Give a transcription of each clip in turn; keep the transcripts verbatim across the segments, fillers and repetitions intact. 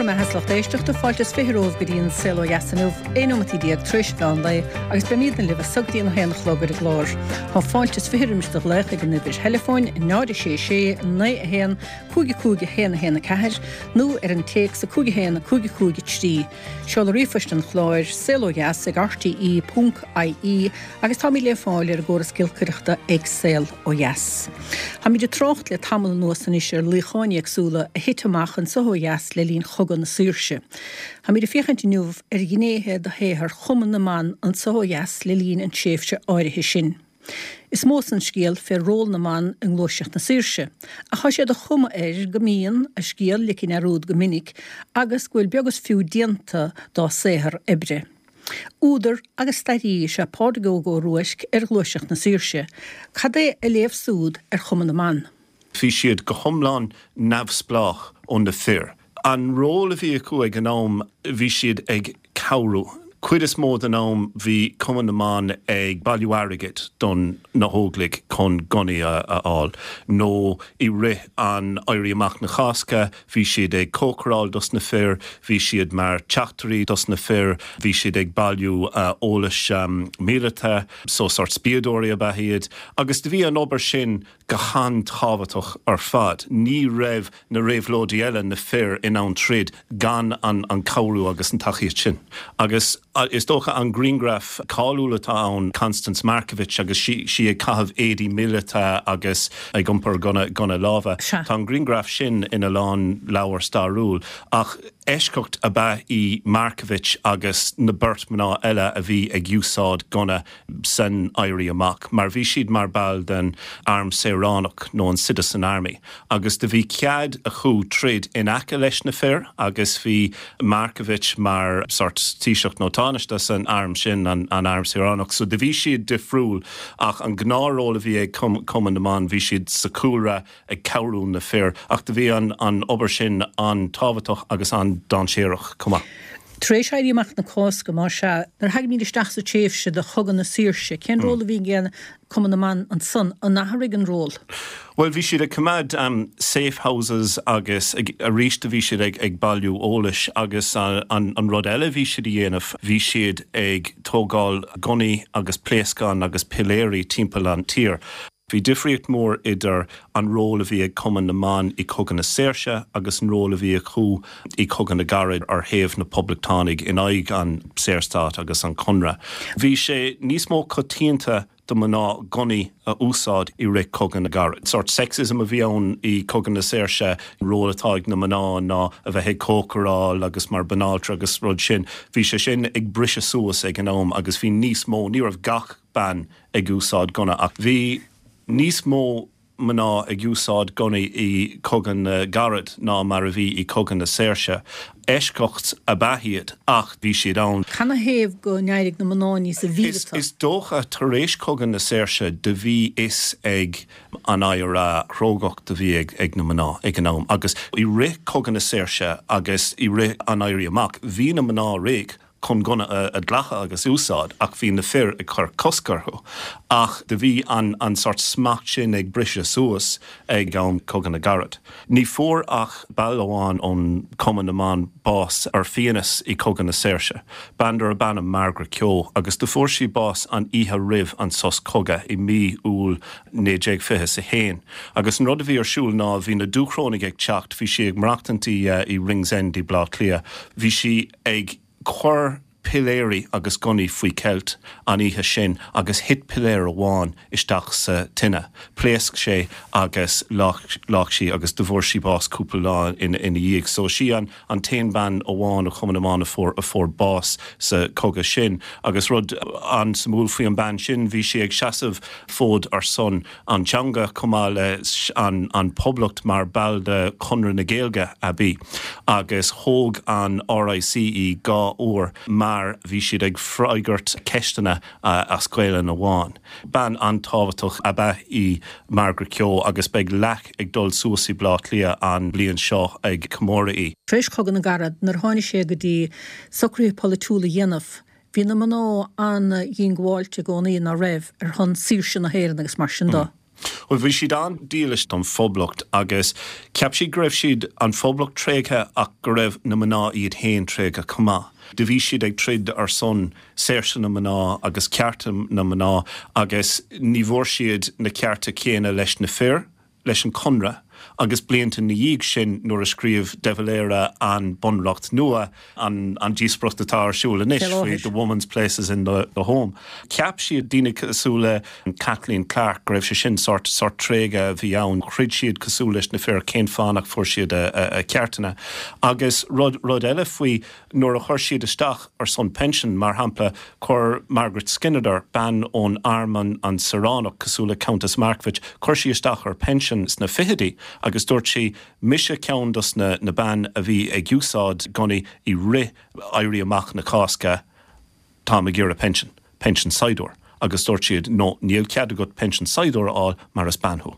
Go raibh maith agat, a lucht éisteachta. Fáilte is fiche romhaibh go dtí an Saol Ó Dheas inniu, aon nóimeataí déag tar éis mheán lae, agus beimidne libh as so go dtí an haon a chlog ar an gclár. Tá fáilte is fiche roimis do ghlaoch ag an uimhir theileafóin náid a sé sé naoi a haon cúig a cúig a haon a haon a ceathair nó ar an téacs a cúig a haon a cúig a cúig a trí. Seoladh ríomhphoist an chláir saol ó dheas ag R T E ponc I E agus táimid le fáil ar an gcóras giolcaireachta ag Saol Ó Dheas. Táimid ag trácht le tamall anuas anois ar luíocháin éagsúla a thit amach anseo ó dheas le linn Chogadh na Saoirse. Táimid ag féachaint inniu ar ghnéithe de shaothar Chumann na mBan anseo ó dheas le linn an tréimhse áirithe sin. Is mó an scéal fé ról na mban i ngluaiseacht na saoirse, ach tá sé de chuma air go mbíonn a scéal ligthe i ndearúd go minic agus go bhfuil beag is fiú déanta dá saothar oibre. Údar agus staraí is ea Pádraig Óg Ó Ruaisc ar ghluaiseacht na saoirse. Cad é a léamh súd ar Chumann na mBan? Bhí siad go hiomlán neamhspleách ó na fir. An ról a bhí acu ag an am, bhí siad ag cabhrú. Cuid is mó den am bhí Cumann na mBan ag bailiú airgid don na hÓglaigh chun gunnaí a fháil, nó i rith an Éirí Amach na Cásca bhí siad ag cócaráil dos na fir, bhí siad mar teachtairí dos na fir, bhí siad ag bailiú eolais um, míleata, so sort spiadóirí ab ea iad, agus do bhí an obair sin go han-tábhachtach ar fad. Ní raibh na réabhlóidithe eile, na fir, in ann troid gan an, an cabhrú agus an tacaíocht sin. Agus is dócha an grianghraf cáiliúil atá ann, Constance Markievicz, agus sí, sí ag caitheamh éadaí míleata agus ag iompar gunna, gunna láimhe. Tá an grianghraf sin ina lán leabhar stairiúil, ach eisceacht ab ea í Markievicz agus na beirt mná eile a bhí ag úsáid gunna san Éirí Amach, mar bhí siad mar ball den arm saoránach nó an Citizen Army. Agus do bhí cead acu troid in aice leis na fir, agus bhí Markievicz mar sort taoiseach nó tánaiste san arm sin, an, an arm saoránach, so do bhí siad difriúil, ach an gnáthról a bhí ag Cumann na mBan, bhí siad sa chúlra ag cabhrú na fir, ach do bhí an, an obair sin an-tábhachtach agus an-dainséarach chomh maith. Tar éis Éirí Amach na Cásca, mar sea, nuair a thagaimid isteach sa tréimhse de Chogadh na Saoirse, cén ról a bhí ag Cumann na mBan ansan? An athraigh an ról? Well, bhí siad ag coimeád um, safe houses agus arís bhí siad ag, ag bailiú eolais, agus uh, an, an rud eile bhí siad a dhéanamh, bhí siad ag tógáil gunnaí agus pléascán agus piléirí timpeall an tír. Bhí difríocht mór idir an ról a bhí ag Cumann na mBan i Cogadh na Saoirse agus an ról a bhí acu i Cogadh na gCarad ar thaobh na poblachtánaigh in aghaidh an Saorstát agus an Conradh. Bhí sé níos mó coitianta do mná gunnaí a úsáid i rith Cogadh na gCarad. Sort sexism a bhí ann i Cogadh na Saoirse, ról atá ag na mná ná a bheith ag cócaráil agus mar banaltra agus rud sin. Bhí sé sin ag briseadh suas ag an am agus bhí níos mó, ní raibh gach bean ag úsáid gunna, ach bhí níos mó mná ag úsáid gunnaí i Cogadh na gCarad ná mar a bhí i Cogadh na Saoirse. Eisceacht ab ea iad, ach bhí siad ann. Canathaobh go n-éirigh na mná níos mhíleata? Is dócha tar éis Cogadh na Saoirse do bhí fhios ag an I R A crógacht a bhí ag, ag na mná ag an am, agus i rith Cogadh na Saoirse agus i rith an Éirí Amach bhí na mná réidh chun gunna a, a ghlacadh agus úsáid, ach bhí na fir ag cur cosc orthu. Ach do bhí an, an sort smacht sin ag briseadh suas ag am Cogadh na gCarad. Ní fuair ach ball amháin ón Cumann na mBan bás ar fiannas i Cogadh na Saoirse. Bean darb ainm Margaret Keogh, agus do fuair sí bás an oíche roimh an sos cogaidh i mí Iúil naoi déag fiche a haon. Agus an rud a bhí ar siúl ná bhí na Dúchrónaigh ag teacht, bhí sí ag maireachtaint i, uh, i Ringsend i Bleá Cliath. Bhí sí ag cur piléirí agus gunnaí faoi ceilt an oíche sin agus thit piléar amháin isteach sa tine. Pléasc sé agus leag sí agus do fuair sí bás cúpla lá ina ina dhiaidh. So sí an an t-aon bean amháin ó Chumann na mBan a fuair a fuair bás sa cogadh sin. Agus rud an-suimiúil faoi an bean sin, bhí sí ag seasamh fód ar son an teanga chomh maith le an, an poblacht mar ball de Chonradh na Gaeilge a bhí. Agus thóg an R I C í dhá uair mar bhí siad ag freagairt ceisteanna uh, as Gaelainn amháin. Bean an-tábhachtach ab ea í Margaret Keogh, agus beidh leac ag dul suas i Bleá Cliath an bliain seo ag comóradh í. Tar éis Chogadh na gCarad, nuair tháinig sé go dtí socruithe polaitiúla a dhéanamh, bhí na mná an-dhiongbháilte i gcónaí, ná raibh, ar shon saoirse na hÉireann agus mar sin dó. Mm. Well bhí siad an-dílis don phoblacht agus cheap siad go raibh siad an phoblacht tréigthe ach go raibh na mná iad féin tréigthe chomh maith. Do bhí siad ag troid ar son saoirse na mná agus cearta na mná agus ní bhfuair siad na cearta céanna leis na fir, leis an Conradh agus blianta na dhiaidh sin nuair a scríobh De Valera an bunreacht nua an, an díospóireacht atá ar siúl anois faoi the woman's places in the, the home. Cheap siad daoine cosúil le Kathleen Clarke go raibh sé sin sort sort tréigean a bhí ann, throid siad cosúil leis na fir cén fáth nach bhfuair siad a, a, a ceartanna. Agus rud, rud eile faoi nuair a chuir siad isteach ar son pension mar shampla chuir Margaret Skinnider bean ón arm an, an saoránach cosúil le Countess Markievicz, chuir sí isteach ar pension sna fichidí agus dúirt sí mise ceann dos na, na ban a bhí ag úsáid gunnaí i rith éirí amach na Cásca tá ag iarraidh pension, pension saighdiúir, agus dúirt siad no níl cead agat pension saighdiúir a fháil mar is bean thú.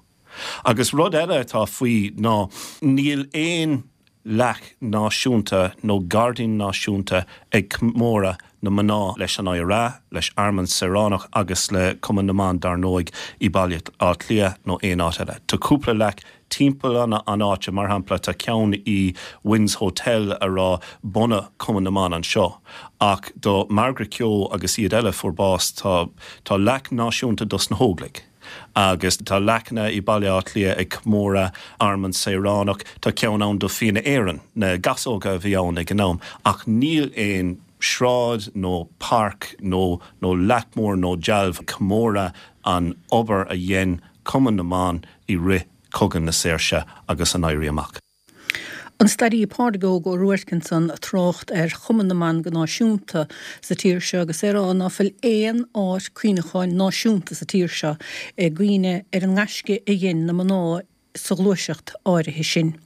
Agus rud eile atá faoi ná níl aon leac náisiúnta nó gairdín náisiúnta ag comóradh na mná leis an IRA, leis arm an saoránach agus le Cumann na mBan dar ndóigh i Baile Átha Cliath nó aon áit eile. Tá cúpla leac timpeall an an áite mar shampla tá ceann i Wynne's Hotel a rá bunaíodh Cumann na mBan anseo. Ach do Margaret Keogh agus iad eile fuair bás tá tá leac náisiúnta dos na hÓglaigh. agus tá leacanna i Baile Átha Cliath ag comóradh arm an saoránach tá ceann ann do Fianna Éireann na gasóga a bhí ann ag an am ach níl aon sráid nó páirc nó nó leac mór nó dealbh comóradh an obair a dhein Cumann na mBan i rith Cogadh na Saoirse agus an Éirí Amach. An staraí Pádraig Óg Ó Ruairc ansan ag trácht ar Chumann na mBan go náisiúnta sa tír seo agus é ag rá ná fuil aon áit cuimhneacháin náisiúnta sa tír seo i gcuimhne ar an ngaisce a dhein na mná sa ghluaiseacht áirithe sin.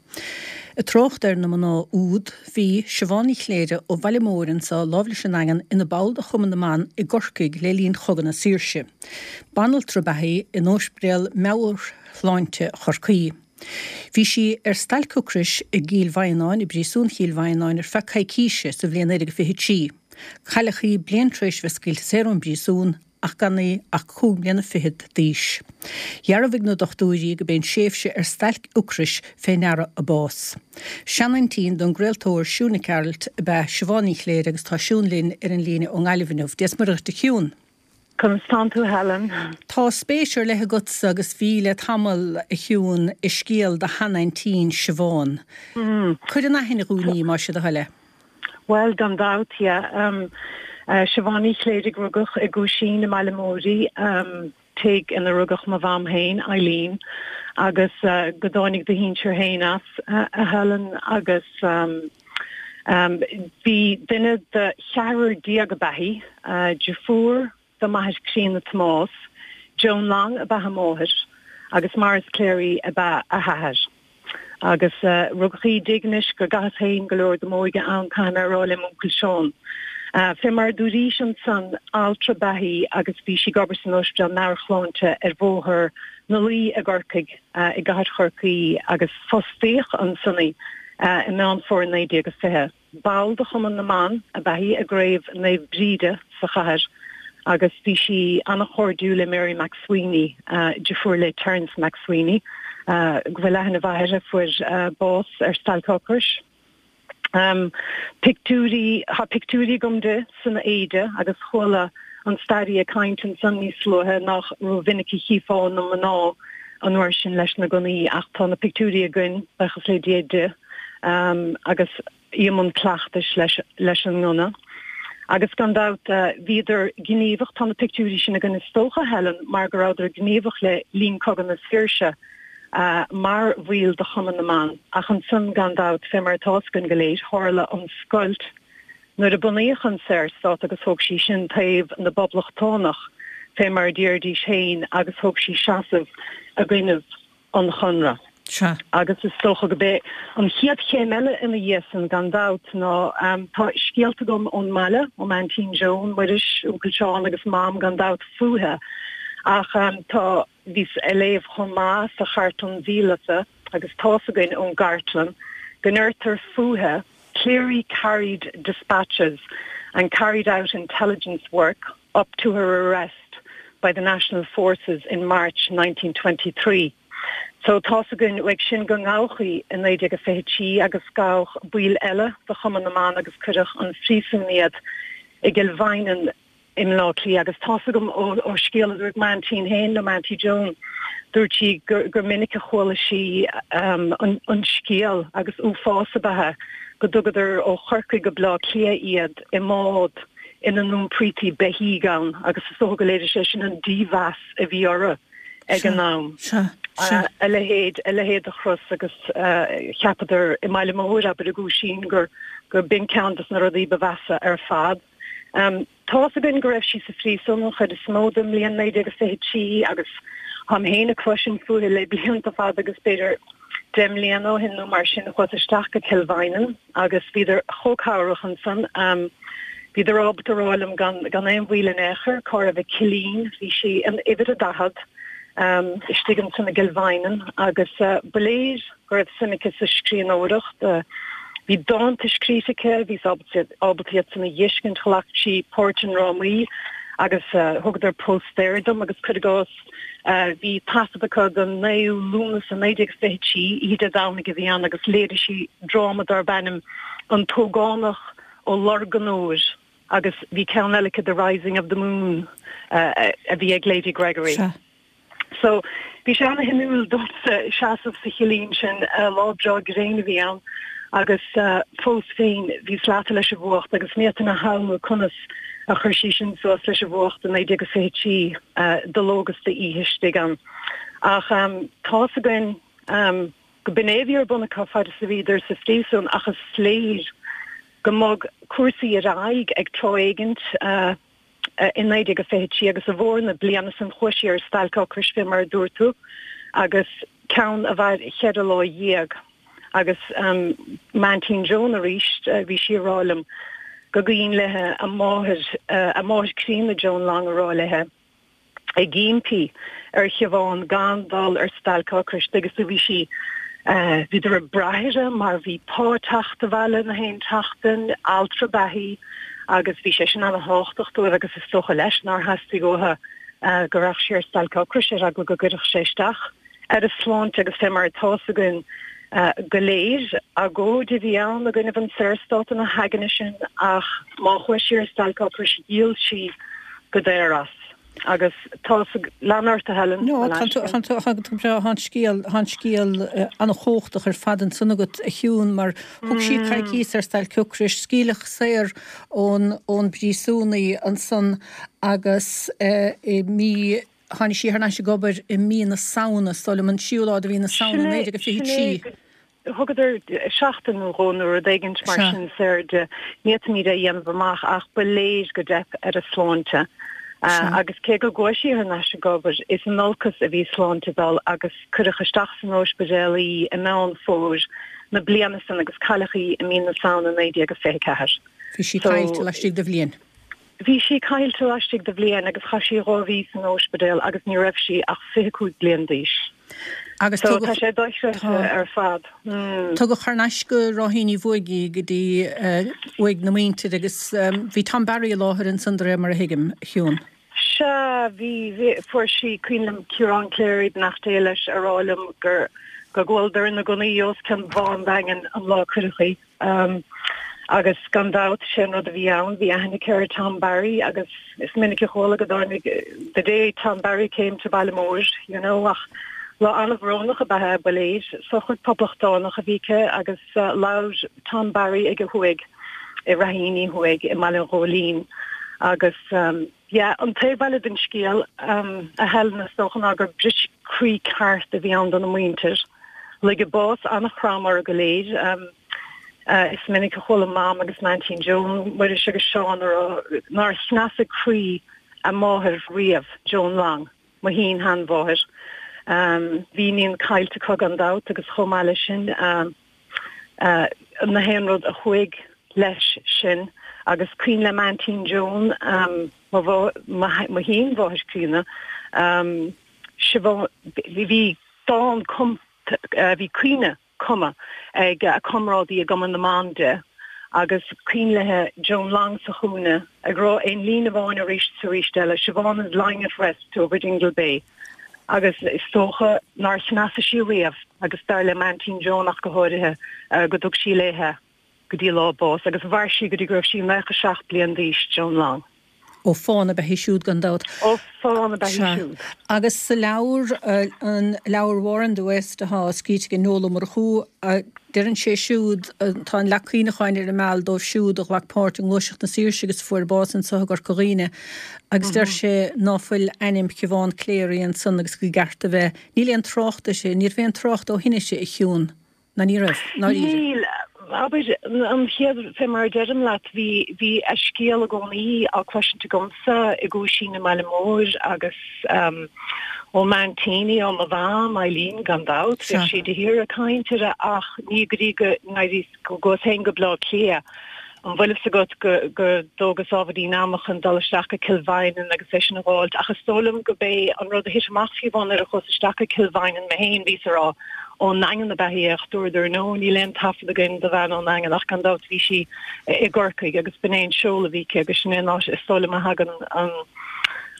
Ag trácht ar na mná úd bhí Siobhán Ní Chléire ó Bhaile Móir anseo láimh leis an nDaingean ina ball de Chumann na mBan i gCorcaigh le linn Chogadh na Saoirse. Banaltra ba ea í in Ospidéal Meabhairshláinte Chorcaí. Bhí sí ar stailc ocrais i gCill Mhaighneáin i bpríosún Chill Mhaighneáin ar feadh coicíse sa bhliain naoi déag fiche trí. Cailleadh í bliain tar éis bheith scaoilte saor ón bpríosún ach gan í ach cúig bliana fichead d'aois. Dhearbhaigh na dochtúirí go b'é an tréimhse ar stailc ocrais fé ndeara a bás. Seanaintín don gcraoltóir Siún Nic Gearailt ab ea Siobhán Ní Chléire agus tá Siún linn ar an líne ón nGaillimh inniu. Dia is Muire dhuit a Shiún. Conas tánn tú Helen. Tá spéis ar leith agatsa agus bhí le tamall a Shiún i scéal do sheanaintín Siobhán. Mm. Cuir in aithne dhúinn í más é do thoil é. Well gan dabht yeah. Um, uh, Siobhán Ní Chléirigh rugadh i gCuaisín i mBaile Móir um, tigh ina rugadh mo mham féin Eileen agus uh, go dtáinig do shinsir féin as uh, a Helen agus um, um, bhí duine de cheathrar déag ab ea í uh, deirfiúr do m'athair críonna Tomás, Joan Long ab ea a máthair agus Maurice Cleary ab ea a hathair. Agus uh, rugadh í i dtigh anois go gcaitheas féin go leor de m'óige ann caithfidh mé a rá le m'uncail Seán. Uh, Fé mar dúraís ansan altra ba ea í agus bhí sí ag obair san ospidéal meabhairshláinte ar bhóthar na Laoi i gCorcaigh uh, i gcathair Chorcaí agus fostaíodh ansan í uh, i Meán Fómhair naoi déag agus fiche. Ball de Chumann na mBan ab ea í i gcraobh Naomh Bríde sa chathair agus bhí sí an-chairdiúil le Mary MacSwiney uh, deirfiúr le Terence MacSwiney uh, go bhfuil aithne mhaith air fuair uh, bás ar stailc ocrais. Um, pictiúirí tá pictiúirí agam di san éide agus chuala an staraí ag caint ansan níos luaithe nach rómhinic a chífeá na mná an uair sin leis na gunnaí ach tá na pictiúirí againn buíochas le Dia di um, agus í i mbun cleachtais leis, leis an ngunna. Agus gan dabht uh, bhíodar gníomhach tá na pictiúirí sin againn is dócha Helen mar go rabhadar gníomhach le linn Cogadh na Saoirse uh, mar bhaill de Chumann na mBan ach ansan gan dabht fé mar atá a fhios againn go léir tharla an scoilt nuair a bunaíodh an Saorstát agus thóg sí sin taobh na bpoblachtánach fé mar a deiridís féin agus thóg sí seasamh i gcoinnibh an Chonradh. Sea. Agus is dócha gurb é an chéad chéim eile ina dhiaidh san gan dabht ná um, tá scéalta agam ón mbaile ó m'aintín Joan Muiris uncail Seán agus mam gan dabht fúithi ach um, tá bhíos ag léamh chomh maith sa chartlann mhíleata agus tá a fhios againn ón gcartlann go ndeirtear fúithi Cleary carried dispatches and carried out intelligence work up to her arrest by the National Forces in March nineteen twenty-three. So tá's againn uaidh sin go ngabhadh í i naoi déag a fiche trí agus gabhadh baill eile de Chumann na mBan agus cuireadh chun phríosúin iad i gCill Mhaighneann i mBleá Cliath agus tá's agam ó, ó scéal a dúirt m'aintín féin nó m'auntie Joan, dúirt sí gur, gur minic a chuala sí um, an, an scéal agus uafás ab ea é go dtugadar ó Chorcaigh go Bleá Cliath iad i mbád ina n-iompraítí beithígh ann agus is dócha go léirigh sé sin an dímheas a bhí orthu ag an am. A leithéid, a leithéid de chros agus cheapadar i mBaile Móir, abair i gCúisín, gur gur b'in ceann des na rudaí ba mheasa ar fad. Tá's againn go raibh sí sa phríosún an chuid is mó den mbliain naoi déag a fiche trí agus táim féin ag cloisint fúithi le blianta fada agus b'fhéidir deich mbliana ó shin nó mar sin chuas isteach go Cill Mhaighneann agus bhíodar chomh cabhrach ansan. Bhíodar ábalta a rá liom gan gan aon mhoill in aon chor cá raibh a cillín, bhí sí in uimhir a daichead istigh ansan i gCill Mhaighneann agus ba léir go raibh suim aici sa scríbhneoireacht. Bhí dánta scríte aici, bhíos ábalta iad san a dh'fheiscint, ghlac sí páirt i ndrámaí agus thugadar póstaer dom agus cuir i gcás bhí taifead acu den naoú Lúnasa naoi déag fiche trí, oíche Dé Domhnaigh a bhí ann agus léirigh sí dráma darb ainm An tÓgánach Ó Lorgain Óir agus bhí ceann eile aici The Rising of the Moon a bhí ag Lady Gregory. Sea. So, bhí sé ana-shuimiúil domsa seasamh sa chillín sin, lá breá gréine a bhí ann agus fós féin bhíos leata leis an bhfuacht agus ní fhéadfainn a shamhlú conas a chuir sí sin suas leis an bhfuacht i naoi déag is fiche trí de ló agus d'oíche istigh ann. Ach tá's againn go b'in é a bhí ar bun acu fad is a bhíodar sa phríosún ach is léir go mbog cúrsaí ar aghaidh ag tráth éigint i naoi déag a fiche trí agus i bhfómhar na bliana san chuaigh sí ar stailc ocrais fé mar a dúirt tú agus ceann a mhair cheithre lá dhéag agus m'aintín Joan arís bhí sí ag rá liom go gcuimhin léithe a máthair a máthair críonna Joan Long ag rá léithe ag impí ar Shiobhán gan dul ar stailc ocrais agus do bhí sí bhíodar ag brath uirthi mar bhí pá ag teacht abhaile na haon tseachtain, altra ab ea í agus bhí sé sin ana-thábhachtach dóibh agus is dócha leis nár theastaigh uathu go rachadh sí ar stailc ocrais ar eagla go gcuirfeadh sé isteach ar a sláinte agus fé mar atá's againn go léir, agóid a bhí ann i gcoinnibh an Saorstát ina haigne sin ach má chuaigh sí ar stailc ocrais dhíol sí go daor as. Agus tá, lean ort a Helen. No, tá tú breá, tá an scéal, tá an scéal an-chumhachtach ar fad ansan agat a Shiún mar thug sí coicíos ar stailc ocrais, scaoileadh saor ón ón bpríosún í ansan agus i mí, tháinig sí thar n-ais ag obair i mí na Samhna, is dóigh liom an tríú lá de mhí na Samhna naoi déag a fiche trí. Thugadar seachtain nó dhó nó rud éigint mar sin saor di. Ní fhéadfaimid é a dhéanamh amach ach ba léir go dteip ar a sláinte. Agus cé go gcuaigh sí thar n-ais ag obair, is in olcas a bhí a sláinte ag dul agus cuireadh isteach san óispidéal í i Meán Fómhair na bliana san agus cailleadh í i mí na Samhna naoi déag a fiche ceathair. Bhí sí caillte laistigh de bhliain. Bhí sí caillte laistigh de bhliain agus chaith sí dhá mhí san óispidéal agus ní raibh sí ach fiche cúig bliain d'aois. Agus So tugadh tá sé dochreidte ar fad. Tugadh thar n-ais go Ráithín Uí Bhuaigh í go dtí uaigh na muintire agus bhí Tom Barry i láthair ansan de réir mar a thuigim, a Shiún. Sea, bhí, bhí, fuair sí, cuimhin liom Ciarán Cleary, beannacht Dé leis, a rá liom gur, go gcualadar ina gcónaí os cionn Bhá an Daingin an lá a cuireadh í. Agus gan dabht, sé an rud a bhí ann, bhí aithne aici ar Tom Barry agus is minic a chuala go dtáinig the day Tom Barry came to Baile Móir, you know, ach lá an-bhrónach ab ea é, ba léir. Sochraid poblachtánach a bhí aici agus labhair Tom Barry ag a huaigh i Ráithín Uí Thuaigh i mBaile an Ghóilín agus yeah, an taobh eile den scéal, a Helen, is dócha ná gur briseadh croí ceart a bhí ann dona muintir. Luigh a bás an-throm orthu go léir. Is minic a chuala Mam agus m'aintín Joan, Muiris agus Seán a rá nár chneasaigh croí a máthair riamh, Joan Long, mo shín-sheanmháthair. Bhí iníon caillte acu gan dabht agus chomh maith leis sin na haon rud a chuaigh leis sin agus cuimhin le m'aintín Joan, mo shín-mháthair críonna, Siobhán, bhí dán cumtha, bhí caoineadh cumtha ag a comrádaí i gCumann na mBan di Agus cuimhin léi Joan Long sa chúinne ag rá aon líne amháin arís is arís eile, Siobhan is lying at rest over Dingle Bay. Agus is dócha nár chneasaigh sí riamh agus dar le m'aintín Joan ach go háirithe go dtug sí léi go dtí lá a bás agus mhair sí go dtí go raibh sí nócha seacht bliain d'aois, Joan Long. Ó fán ab ea í siúd gan dabht. Ó fán ab ea í siúd. Agus sa leabhar, an leabhar War in the West atá scríte ag Noel Ó Murchú, deireann sé siúd, tá an leac cuimhneacháin ar an Meal dóibh siúd a ghlac páirt i nGluaiseacht na Saoirse agus a fuair bás anseo i gCorca Dhuibhne agus deir sé ná fuil ainm Shiobhán Cléirigh ansan agus go gceart a bheith. Níl aon trácht uirthi, ní raibh aon trácht ó shin uirthi, a Shiún. Ná ní raibh, ndáiríre. Níl. Abair, an chéad, fé mar a deirim leat, bhí, bhí a scéal i gcónaí á cloisint agamsa i gCuaisín i mBaile Móir agus ó m'aintíní, ó mo mham, Eileen, gan dabht, bhíodh sí de shíor ag caint uirthi ach ní go dtí go n-éiríos, go gcuas féin go Bleá Cliath. An bhfuil fhios agat go go dtógas ábhairín ama chun dul isteach go Cill Mhaighneann agus é sin a dh'fháilt ach is dóigh liom go b'é an rud a thit amach fiú amháin nuair a chuas isteach go Cill Mhaighneann mé féin bhíos a rá ón nDaingean ab ea í ach dúradar no níl aon taifead againn do bhean ón nDaingean ach gan dabht bhí sí i gCorcaigh agus b'in é an seoladh a bhí aici agus sin é an áit is dóigh liom a thagann an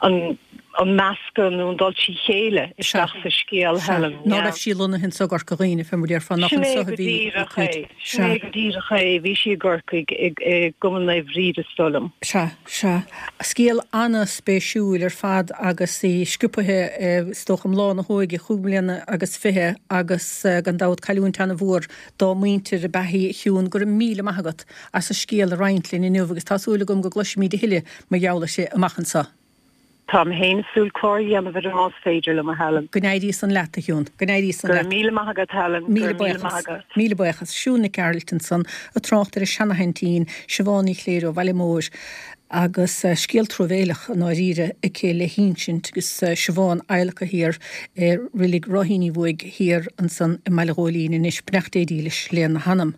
an an meascadh nó an dul trí chéile isteach sa scéal, Helen. Ná raibh sí lonnaithe anso i gCorca Dhuibhne, fé mar a déarfá, nach anso a bhí a cuid. Sin é go díreach é, bhí sí i gCorcaigh, i gCumann Naomh Bríd is dóigh liom. Sea, sea. Scéal an-spéisiúil ar fad agus í sciobtha, is dócha, i mbláth na hóige, chúig mbliana agus fiche, agus gan dabht cailliúint an-mhór dá muintir ab ea í, a Shiún. Go raibh míle maith agat as an scéal a roinnt linn inniu agus tá súil agam go gcloisfimid a thuilleadh mar gheall uirthi amach anso. Táim féin ag súil clár a dhéanamh uirthi más féidir liom, a Helen. Go n-éirí san leat, a Shiún. Go n-éirí san leat. Go raibh míle maith agat, Helen. Míle buíochas. Míle buíochas. Siún Nic Gearailt ansan ag trácht ar a seanaaintín, Siobhán Ní Chléirigh ó Bhaile Móir agus scéal truamhéileach i ndáiríre aici le hinsint agus Siobhán adhlactha thiar i Reilig Ráithín Uí Bhuaigh thiar ansan i mBaile Ghóilín anois. Beannacht Dé dílis lena hanam.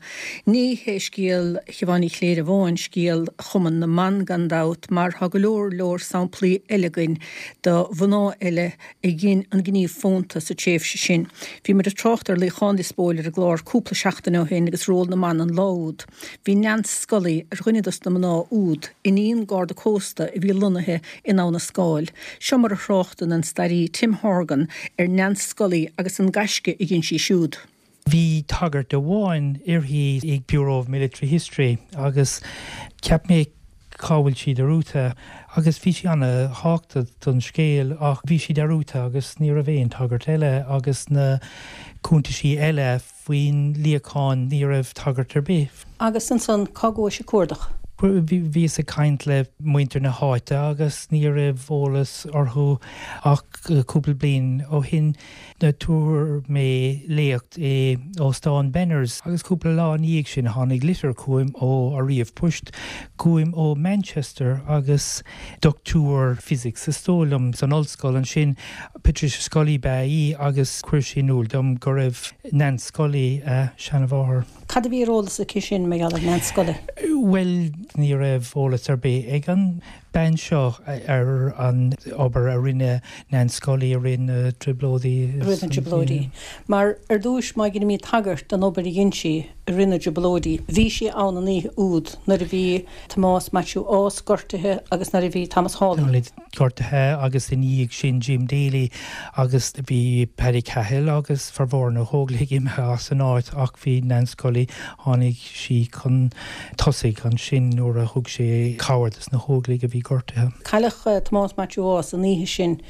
Ní hé scéal Shiobhán Ní Chléirigh amháin scéal Chumann na mBan gan dabht mar tá go leor leor samplaí eile againn de mhná eile a dhein an gníomh fónta sa tréimhse sin. Bhí muid ag trácht ar Luíochán Lios Póil ar an gclár cúpla seachtain ó shin agus ról na mban an lá úd. Bhí Nance Scully ar dhuine dos na mná úd, iníon Garda Cósta a bhí lonnaithe in Abha na Scáil. Seo mar a thráchtann an staraí Tim Horgan ar Nance Scully agus an gaisce a dhein sí siúd. Bhí tagairt amháin uirthi ag Bureau of Military History agus cheap mé cá bhfuil sí dearúdta agus bhí sí ana-thábhachtach don scéal ach bhí sí dearúdta agus ní raibh aon tagairt eile agus na cuntaisí eile faoin luíochán ní raibh tagairt ar bith. Agus ansan cá gcuais ag cuardach? Bhíos ag caint le muintir na háite agus ní raibh eolas orthu ach cúpla bliain ó shin tabhair mé léacht i Óstán Benners agus cúpla lá ina dhiaidh sin tháinig litir chugam ó ar ríomhphost chugam ó Manchester agus dochtúir physics is dóigh liom san ollscoil ansin Patricia Scully ba ea í agus chuir sí in iúl dom go raibh Nance Scully a seanmháthair. Cad a bhí ar eolas aici sin mar gheall ar Nance Scully? Bhuel, ní raibh eolas ar bith ag an bean seo ar an obair a rinne Nance Scully i rith na dTrioblóidí. I rith na dTrioblóidí. Mar ar dtúis má dheinimid tagairt don obair a dhein sí i rith na dTrioblóidí, bhí sí ann an oíche úd nuair a bhí Tomás Maitiú Ághas gortaithe agus nuair a bhí Thomas Hawley. gortaithe agus ina dhiaidh sin Jim Daly agus bhí Paddy Cahill agus formhór na hÓglaigh imithe as an áit ach bhí Nance Scully, tháinig sí chun tosaigh ansin nuair a thug sé cabhair dos na hÓglaigh a bhí gortaithe. Cailleadh Tomás Maitiú Ághas an oíche sin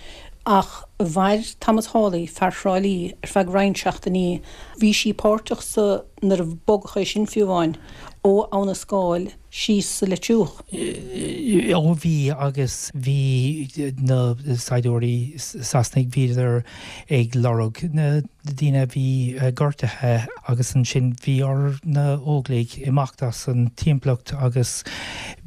ach mhair Thomas Hawley, fear Thrá Lí, ar feadh roinnt seachtainí. Bhí sí páirteach sa nuair a bogadh é sin fiú amháin ó Abha na Scáil síos sa Leitriúch. Ó bhí agus bhí na saighdiúirí Sasanaigh, bhíodar ag lorg na daoine a bhí gortaithe agus ansin bhí ar na hÓglaigh imeacht as an timpeallacht agus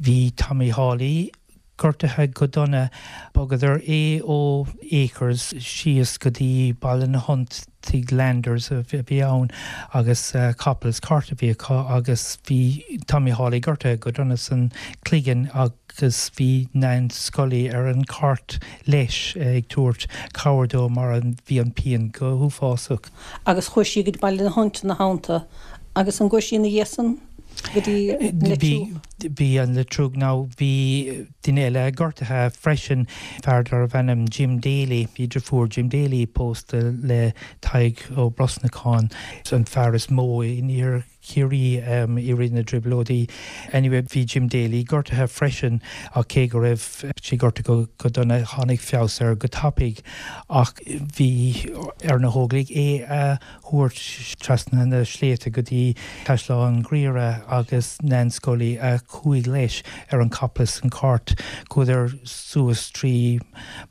bhí Tommy Hawley gortaithe go dona. Bhogadar é ó Acres síos go dtí Baile na hUnt, tigh Landers a bhí ann agus capall is cairt a bhí acu agus bhí Tommy Hawley gortaithe go dona san cloigeann agus bhí Nance Scully ar an chairt leis ag tabhairt cabhair dó mar bhí an pian go huafásach. Agus chuaigh sí go dtí Baile na hUnt ina theannta agus an gcuaigh sí ina dhiaidh san? go dtí an Leitriúch? Bhí an Leitriúch nó bhí duine eile gortaithe freisin, fear darbh ainm Jim Daly, bhí deirfiúr Jim Daly pósta le Tadhg Ó Brosnacháin, an fear is mó in iarthar Chiarraí i rith na dTrioblóidí. Anyway, bhí Jim Daly gortaithe freisin ach cé go raibh sé gortaithe go dona tháinig feabhas air go tapaidh ach bhí ar na hÓglaigh é a thabhairt trasna na sléibhte go dtí Caisleán Ghriaire agus Nan Scully a chuaigh leis ar an capall is an cairt. Chuadar suas trí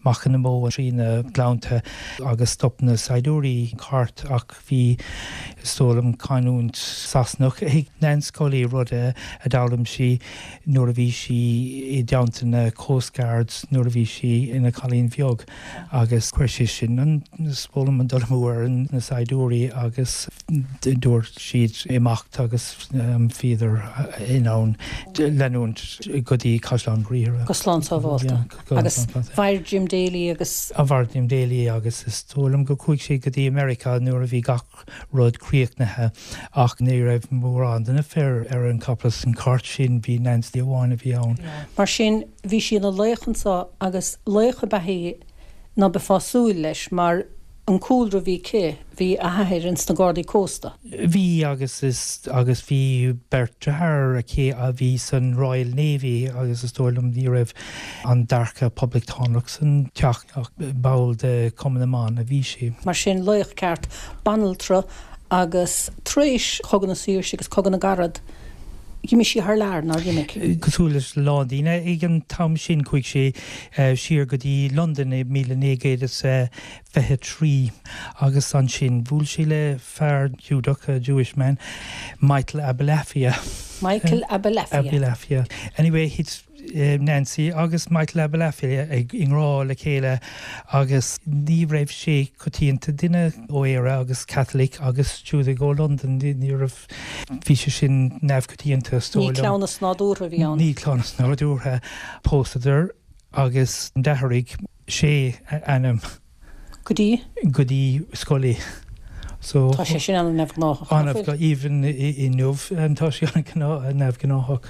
Machaire na mBó trí na gleannta agus stop na saighdiúirí an cairt ach bhí, is dóigh liom, canúint Sasanach ag Nan Scully, rud a d'fhoghlaim sí nuair a bhí sí i dteannta na Coast Guards nuair a bhí sí ina cailín bheag agus chuir sé sin an, is dóigh liom, an dul amú ar na saighdiúirí agus dúirt siad imeacht agus bhíodar in ann leanúint go dtí Caisleán Ghriaire. Go slán sábhálta. Agus mhair Jim Daly agus. Mhair Jim Daly agus is dóigh liom go chuaigh sé go dtí America nuair a bhí gach rud críochnaithe ach ní raibh mórán de na fir ar an capall is an cairt sin, bhí Nancy amháin a bhí ann. Mar sin bhí sí ina laoch anso agus laoch ab ea í ná beifeá ag súil leis mar an cúlra a bhí aici, bhí a hathair ins na Gardaí Cósta. Bhí agus is agus bhí beirt deartháir aici a bhí san Royal Navy agus is dóigh liom ní raibh an dearcadh poblachtánach san teach ach ball de Chumann na mBan a bhí sí. Mar sin laoch ceart, banaltra agus tar éis Chogadh na Saoirse agus Cogadh na gCarad, d'imigh sí thar lear, nár imigh? Cosúil leis a lán daoine ag an t-am sin, chuaigh sí siar go dtí Londain i míle naoi gcéad is fiche trí agus ansin bhuail sí le fear Giúdach, a Jewish man, Michael Abulafia. Michael Abulafia. Abulafia. Anyway, thit Nancy agus Michael Abulafia i ngrá le chéile agus ní raibh sé coitianta duine ó Éire agus Catholic agus Giúdach ó Londain, ní raibh, bhí sé sin neamhchoitianta is dóigh liom. Ní cleamhnas nádúrtha a bhí ann. Ní cleamhnas nádúrtha. Pósadar agus d'athraigh sé a ainm. Go dtí? Go dtí Scully. So, tá sé sin an-neamhghnáthach. An-, even inniu tá sé an-neamhghnáthach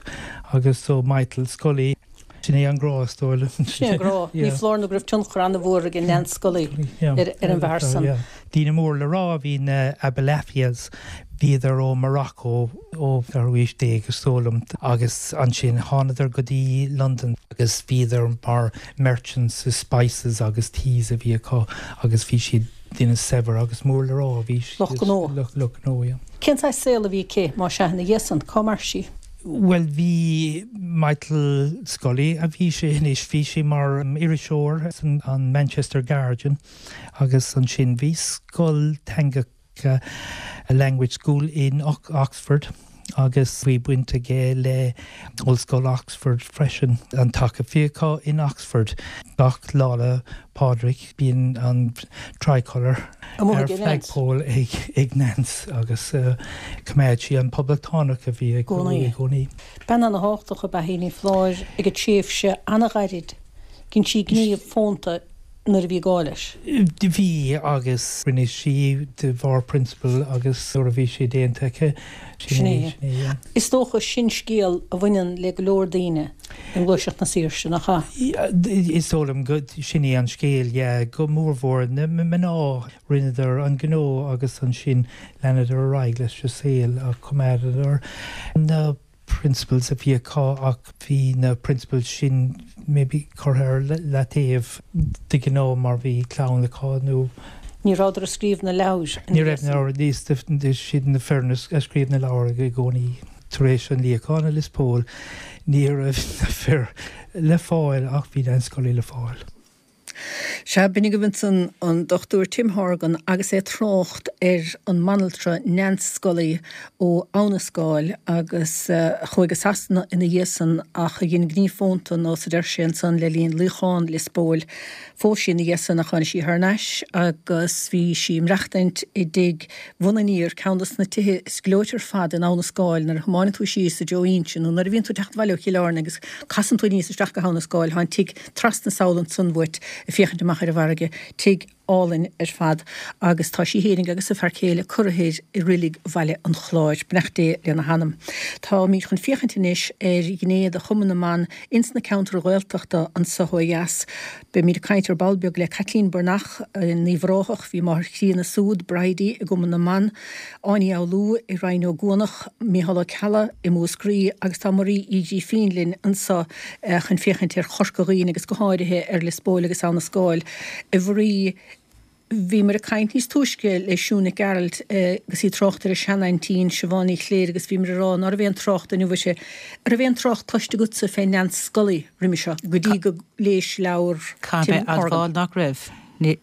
agus so Michael Scully. Sin é an grá is dóigh liom. Sin é an grá. Ní foláir nó go raibh tionchar an-mhór ag Nan Scully ar an bhfear san. Daoine mór le rá a bhí na Abulafias. Bhíodar ó Morocco ó ceathrú haois déag is dóigh liom agus ansin thánadar go dtí Londain agus bhíodar mar merchants is spices agus teas a bhí acu agus bhí siad daoine saibhir agus mór le rá a bhí siad. Lucht gnó. Lucht gnó, yeah. Cén saghas saol a bhí aici más ea ina dhiaidh san? Cá mhair sí? Bhuel bhí Michael Scully a bhí sé anois, bhí sé mar iriseoir san an Manchester Guardian agus ansin bhí scoil teanga a language school in Oxford agus bhí baint aige le Ollscoil Oxford freisin. An taca a bhí acu in Oxford gach Lá 'le Pádraig bíonn an tricolour ar flagpole ag Nance agus coimeád sí an poblachtánach a bhí i gcónaí. Bean ana-thábhachtach ab ea í, ní foláir, ag an tréimhse ana-ghairid. Dhein sí gníomh fónta nuair a bhí gá leis. Bhí agus rinne sí de bharr prionsabail agus nuair a bhí sé déanta aici, sin é. Sin é. Is dócha sin scéal a bhaineann le go leor daoine i nGluaiseacht na Saoirse, nach ea? Is dóigh liom go sin é an scéal, yeah. Go mórmhór na mná, rinneadar an gnó agus ansin leanadar ar aghaidh leis an saol ach choimeádadar na principles a bhí acu ach bhí na principles sin maybe curtha ar leataobh de ghnáth mar bhí clann acu nó. Ní rabhadar ag scríobh na leabhar. Ní raibh na leabhair, siad na fir a scríobh na leabhair i gcónaí. Tar éis an luíochán i Lios Póil ní raibh na fir le fáil ach bhí Nan Scully le fáil. Sea, b'in agaibh ansan an Dochtúir Tim Horgan agus é ag trácht ar an mbanaltra Nance Scully ó Abha na Scáil agus a chuaigh go Sasana ina dhiaidh san ach a dhein gníomh fónta nós a deir sé ansan le linn luíochán Lios Póil. Phós sí ina dhiaidh san ach tháinig sí thar n-ais agus bhí sí ag maireachtaint i dtigh Bhun Aniar, ceann dos na tithe is gleoite ar fad in Abha na Scáil nuair a thiomáineann tú síos i dtreo Inse nó nuair a bhíonn tú ag teacht abhaile ó Chill Airne agus casann tú aníos isteach go hAbha na Scáil, tá an tigh trasna sall ansan uait ag féachaint amach ar an bhfarraige, tigh álainn ar fad agus tá sí fhéinig agus a fear céile curtha i reilig Bhaile an Chláir. Beannacht Dé lena hanam. Táimid chun féachaint anois ar ghné de Chumann na mBan ins na ceantair Ghaeltachta anseo ó dheas. Beimid ag caint ar ball beag le Caitlín Breathnach in Uíbh Ráthach, bhí máthair chríonna súd, Bridie i gCumann na mBan, Áine Fhoghlú i Rinn Ó gCuanach, Mícheál Ó Ceallaigh i Múscraí agus tá Marie Uí Ghrífín linn anseo chun féachaint ar Chorca Dhuibhne agus go háirithe ar Lios Póil agus Abha na Scáil. A Mharie, bhíomar ag caint níos túisce le Siún Nic Gearailt agus í ag trácht ar a seanaintín Siobhán Ní Chléirigh agus bhíomar ag rá ná raibh aon trácht inniu uirthi. An raibh aon trácht cloiste agatsa fé Neans Scully roimhe seo go dtí go léis leabhar Tim Caithfidh mé admháil nach raibh. Ní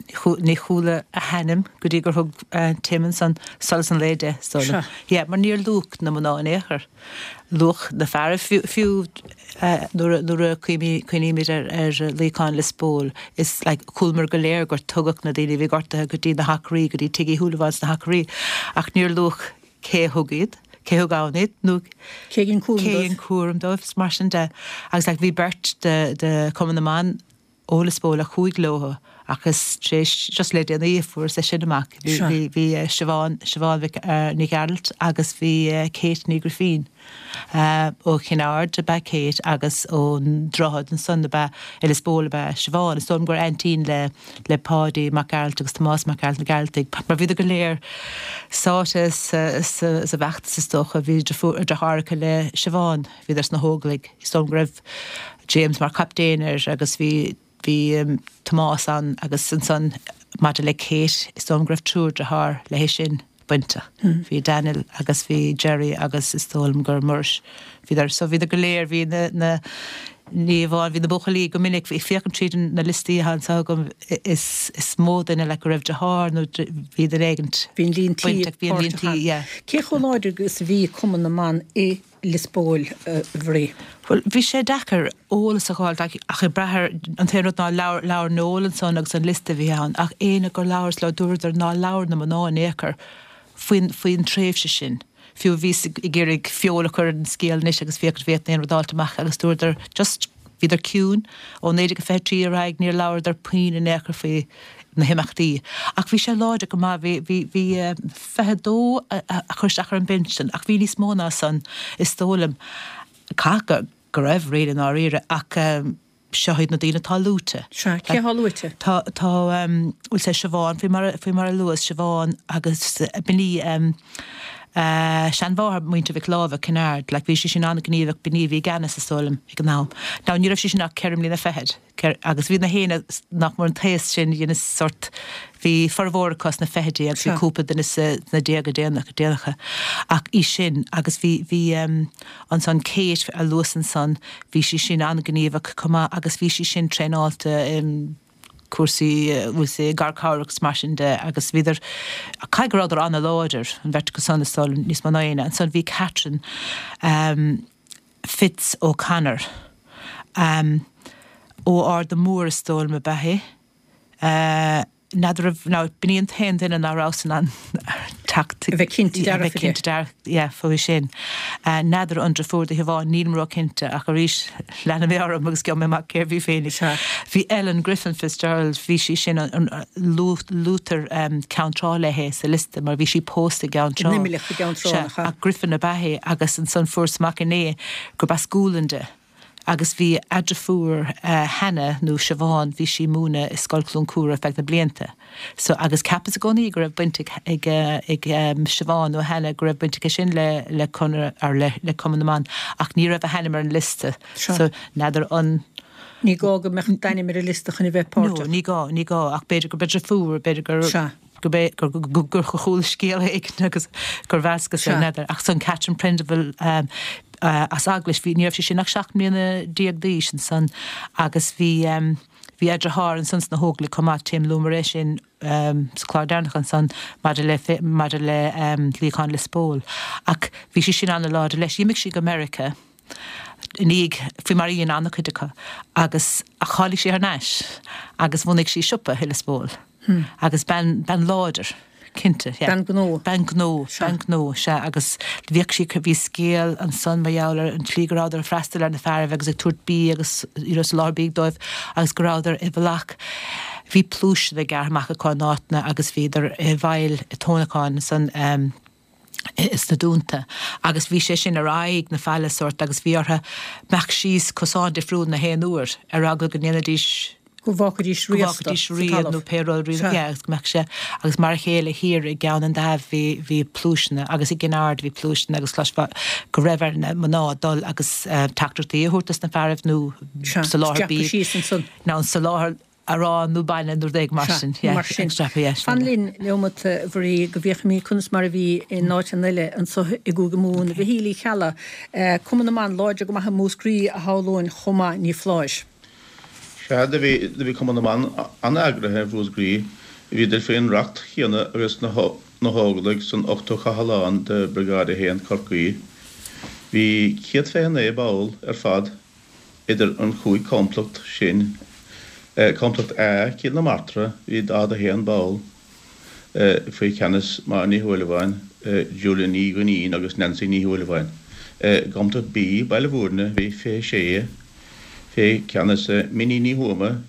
chuala a hainm go dtí gur thug Tim ansan solas an lae di, is dóigh liom. Yeah, mar níor luadh na mná in aon chor. Luadh na feara fiú nuair a cuimhnímid ar luíochán Lios Póil, is like chualamar go léir gur tugadh na daoine a bhí gortaithe go dtí na hAcraí, go dtí Tigh Uí Shúilleabháin sna hAcraí, ach níor luadh cé a thug iad, cé thug ann iad nó cé a dhein cúram dóibh. Cé a dhein cúram dóibh, is mar sin de. Agus like bhí beirt de de Chumann na mBan ó Lios Póil a chuaigh leo ach is tar éis just le déanaí a fuaireas é sin amach. Bhí bhí bhí Siobhán Siobhán Mhic Ní Ghearailt agus bhí Kate Ní Ghrifín. Ó Chinn Aird ab ea Kate agus ón Droichead ansan ab ea i Lios Póil ab ea Siobhán. Is dóigh liom gur aintín le le Páidí Mac Gearailt agus Tomás Mac Gearailt na Gearaltaigh mar bhíodar go léir sáite sa sa sa bhfeachtas is dócha. Bhí deartháireacha le Siobhán, bhíodar sna hÓglaigh. Is dóigh liom go raibh James mar chaptaen air agus bhí bhí Tomás ann agus ansan maidir le Kate is dóigh liom go raibh triúr dearthár léi sin bainteach. Bhí Daniel agus bhí Jerry agus is dóigh liom gur Muiris. Bhíodar so bhíodar go léir bhí na na ní amháin bhí na buachaillí go minic ag féachaint tríd na liostaí atá anseo agam is is mó duine le go raibh deartháir nó bhí duine éigint Bhí an líon tí bainteach bhí an líon tí yeah. Cé chomh láidir agus a bhí Cumann na mBan i Lios Póil, a Mharie? Bhuel, bhí sé deacair eolas a fháil ach ag brath ar an t-aon rud ná leabhar, leabhar Noel ansan agus an liosta a bhí ann ach éinne gur labhras leo dúradar nár labhair na mná in aon chor faoin, faoin tréimhse sin. Fiú bhíos ag iarraidh feoil a chur ar an scéal anois agus féachaint an bhféadfainn aon rud a fháilt amach agus dúradar just bhíodar ciúin ó naoi déag a fiche trí ar aghaidh níor labhradar puinn in aon chor faoi na himeachtaí. Ach bhí sé láidir go maith, bhí, bhí, bhí fiche dó a chuir isteach ar an bpinsean ach bhí níos mó ná san is dóigh liom. Caithfidh go raibh really i ndáiríre ach seo iad na daoine atá luaite. Sea, cé atá luaite? Tá, tá, bhuel sé Siobhán faoi mar, faoi mar a luas, Siobhán agus b'in í seanmháthair muintir Mhic Láimhe, Kinnaird, like bhí sí sin an-ghníomhach, b'in í a bhí i gceannas is dóigh liom ag an am. Now ní raibh sí sin ach ceithre mbliana fichead, agus bhí na héinne nach mór an t-aos sin dhein sort, bhí formhór acu sna fichidí agus bhí cúpla duine sna déaga déanach, déanacha. Ach í sin agus bhí, bhí ansan Kate a luas ansan, bhí sí sin an-ghníomhach chomh maith agus bhí sí sin traenáilte i cúrsaí, bhfuil sé, garchabhrach agus mar sin de agus bhíodar, caithfidh go rabhadar an-láidir, an bheirt acu san is dóigh liom, níos mó ná éinne. Ansan bhí Catherine Fitz O'Connor, ó Arda Mór is dóigh liom ab ea í. N'fheadar raibh, now b'in í an t-aon duine ná rabhas in ann teacht, A bheith cinnte a dearfa bheith de. cinnte dearfa, yeah, faoi sin. N'fheadar an deirfiúr do Shiobhán, nílim ró-chinnte ach arís leanfaidh mé orm agus gheobhaidh mé amach cérbh í féinig. Sea. Bhí Ellen Griffin Fitzgerald, bhí sí sin, an, luaitear Ceann Trá léi sa liosta mar bhí sí pósta i gCeann Trá. In Imleach i gCeann Trá, Sea, nach ea? ach Griffin ab ea í agus ansan fuaireas amach inné gurb as Gualainn di. Agus bhí a deirfiúr Hannah nó Siobhán, bhí sí ag múineadh i Scoil Chluain Cúra feadh na blianta. So, agus cheapas i gcónaí go raibh baint ag ag ag Siobhán nó Hannah, go raibh baint aici sin le le Conradh or le le Cumann na mBan ach ní raibh a hainm ar an liosta. Seo. So, n'fheadar an. Ní gá go mbeadh d'ainm ar an liosta chun a bheith No, páirteach. ní gá, ní gá ach b'fhéidir gurb é deirfiúr, b'fhéidir gur. Sea. Gurb é gur chuala scéal éigin agus gur mheascas é, n'fheadar. Ach ansan Catherine Prendeville as Eaglais, bhí, ní raibh sí sin ach seacht mbliana déag d'aois ansan agus bhí, bhí a deartháir ansan sna hÓglaigh chomh maith, Tim, luamar é sin sa chlár deireanach ansan maidir le, maidir le luíochán Lios Póil. Ach bhí sí sin an-láidir leis. D'imigh sí go Meiriceá i ndiaidh, faoi mar a dhein an-chuid acu, agus ach tháinig sí thar n-ais agus bhunaigh sí siopa i Lios Póil. Agus bean, bean láidir, cinnte, yeah. Bean gnó. Bean gnó, bean gnó, sea, agus bhíodh sí, bhí scéal ansan mar gheall ar an tslí go rabhadar ag freastal ar na fearaibh agus ag tabhairt bídh agus, you know, soláthar bídh dóibh agus go rabhadar i bhfolach. Bhí pluaiseanna gearrtha amach acu in áiteanna agus bhíodar i bhfeighil tónacáin san sna dúnta agus bhí sé sin ar aghaidh na faille sórt agus bhí orthu imeacht síos cosán difriúil na haon uair ar eagla go ndéanfaidís Go bhfágfaidís go bhfágfaidís rian nó pé rud rian yeah, agus go mbeadh sé agus mar a chéile thiar i gCeann an Daimh bhí bhí pluaiseanna agus i gCinn Aird bhí pluaiseanna agus chloisfeá go raibh ar na mná dul agus uh, teachtaireachtaí a thabhairt dos na fearaibh nó soláthar bídh síos ansan. nó an soláthar arán nó bainne nó rud mar sin. Mar sin. Fan linn neomat a Mharie go bhfeicfimid conas mar a bhí in áiteanna eile anseo i gCúige Mumhan. Mhichíl Uí Cheallaigh, Cumann na mBan láidir go maith i Múscraí a shamhlóinn chomh maith, ní foláir. Sea, do bhí, do bhí Cumann na mBan an-eagraithe i Mhúscraí. Bhíodar faoin reacht chéanna agus na hÓglaigh san ochtú cathlán de Briogáid a haon, Corcaí. Bhí céad fiche naoi ball ar fad idir an chúig chomplacht sin. Complacht A, Cill na Martra, bhí daichead a haon ball faoi cheannas Máire Ní Shúilleabháin, Julia Ní Dhuinnín agus Nancy Ní Shúilleabháin. I gComplacht B, Baile Bhúirne, bhí fiche sé fé cheannas Minnie Ní Thuama,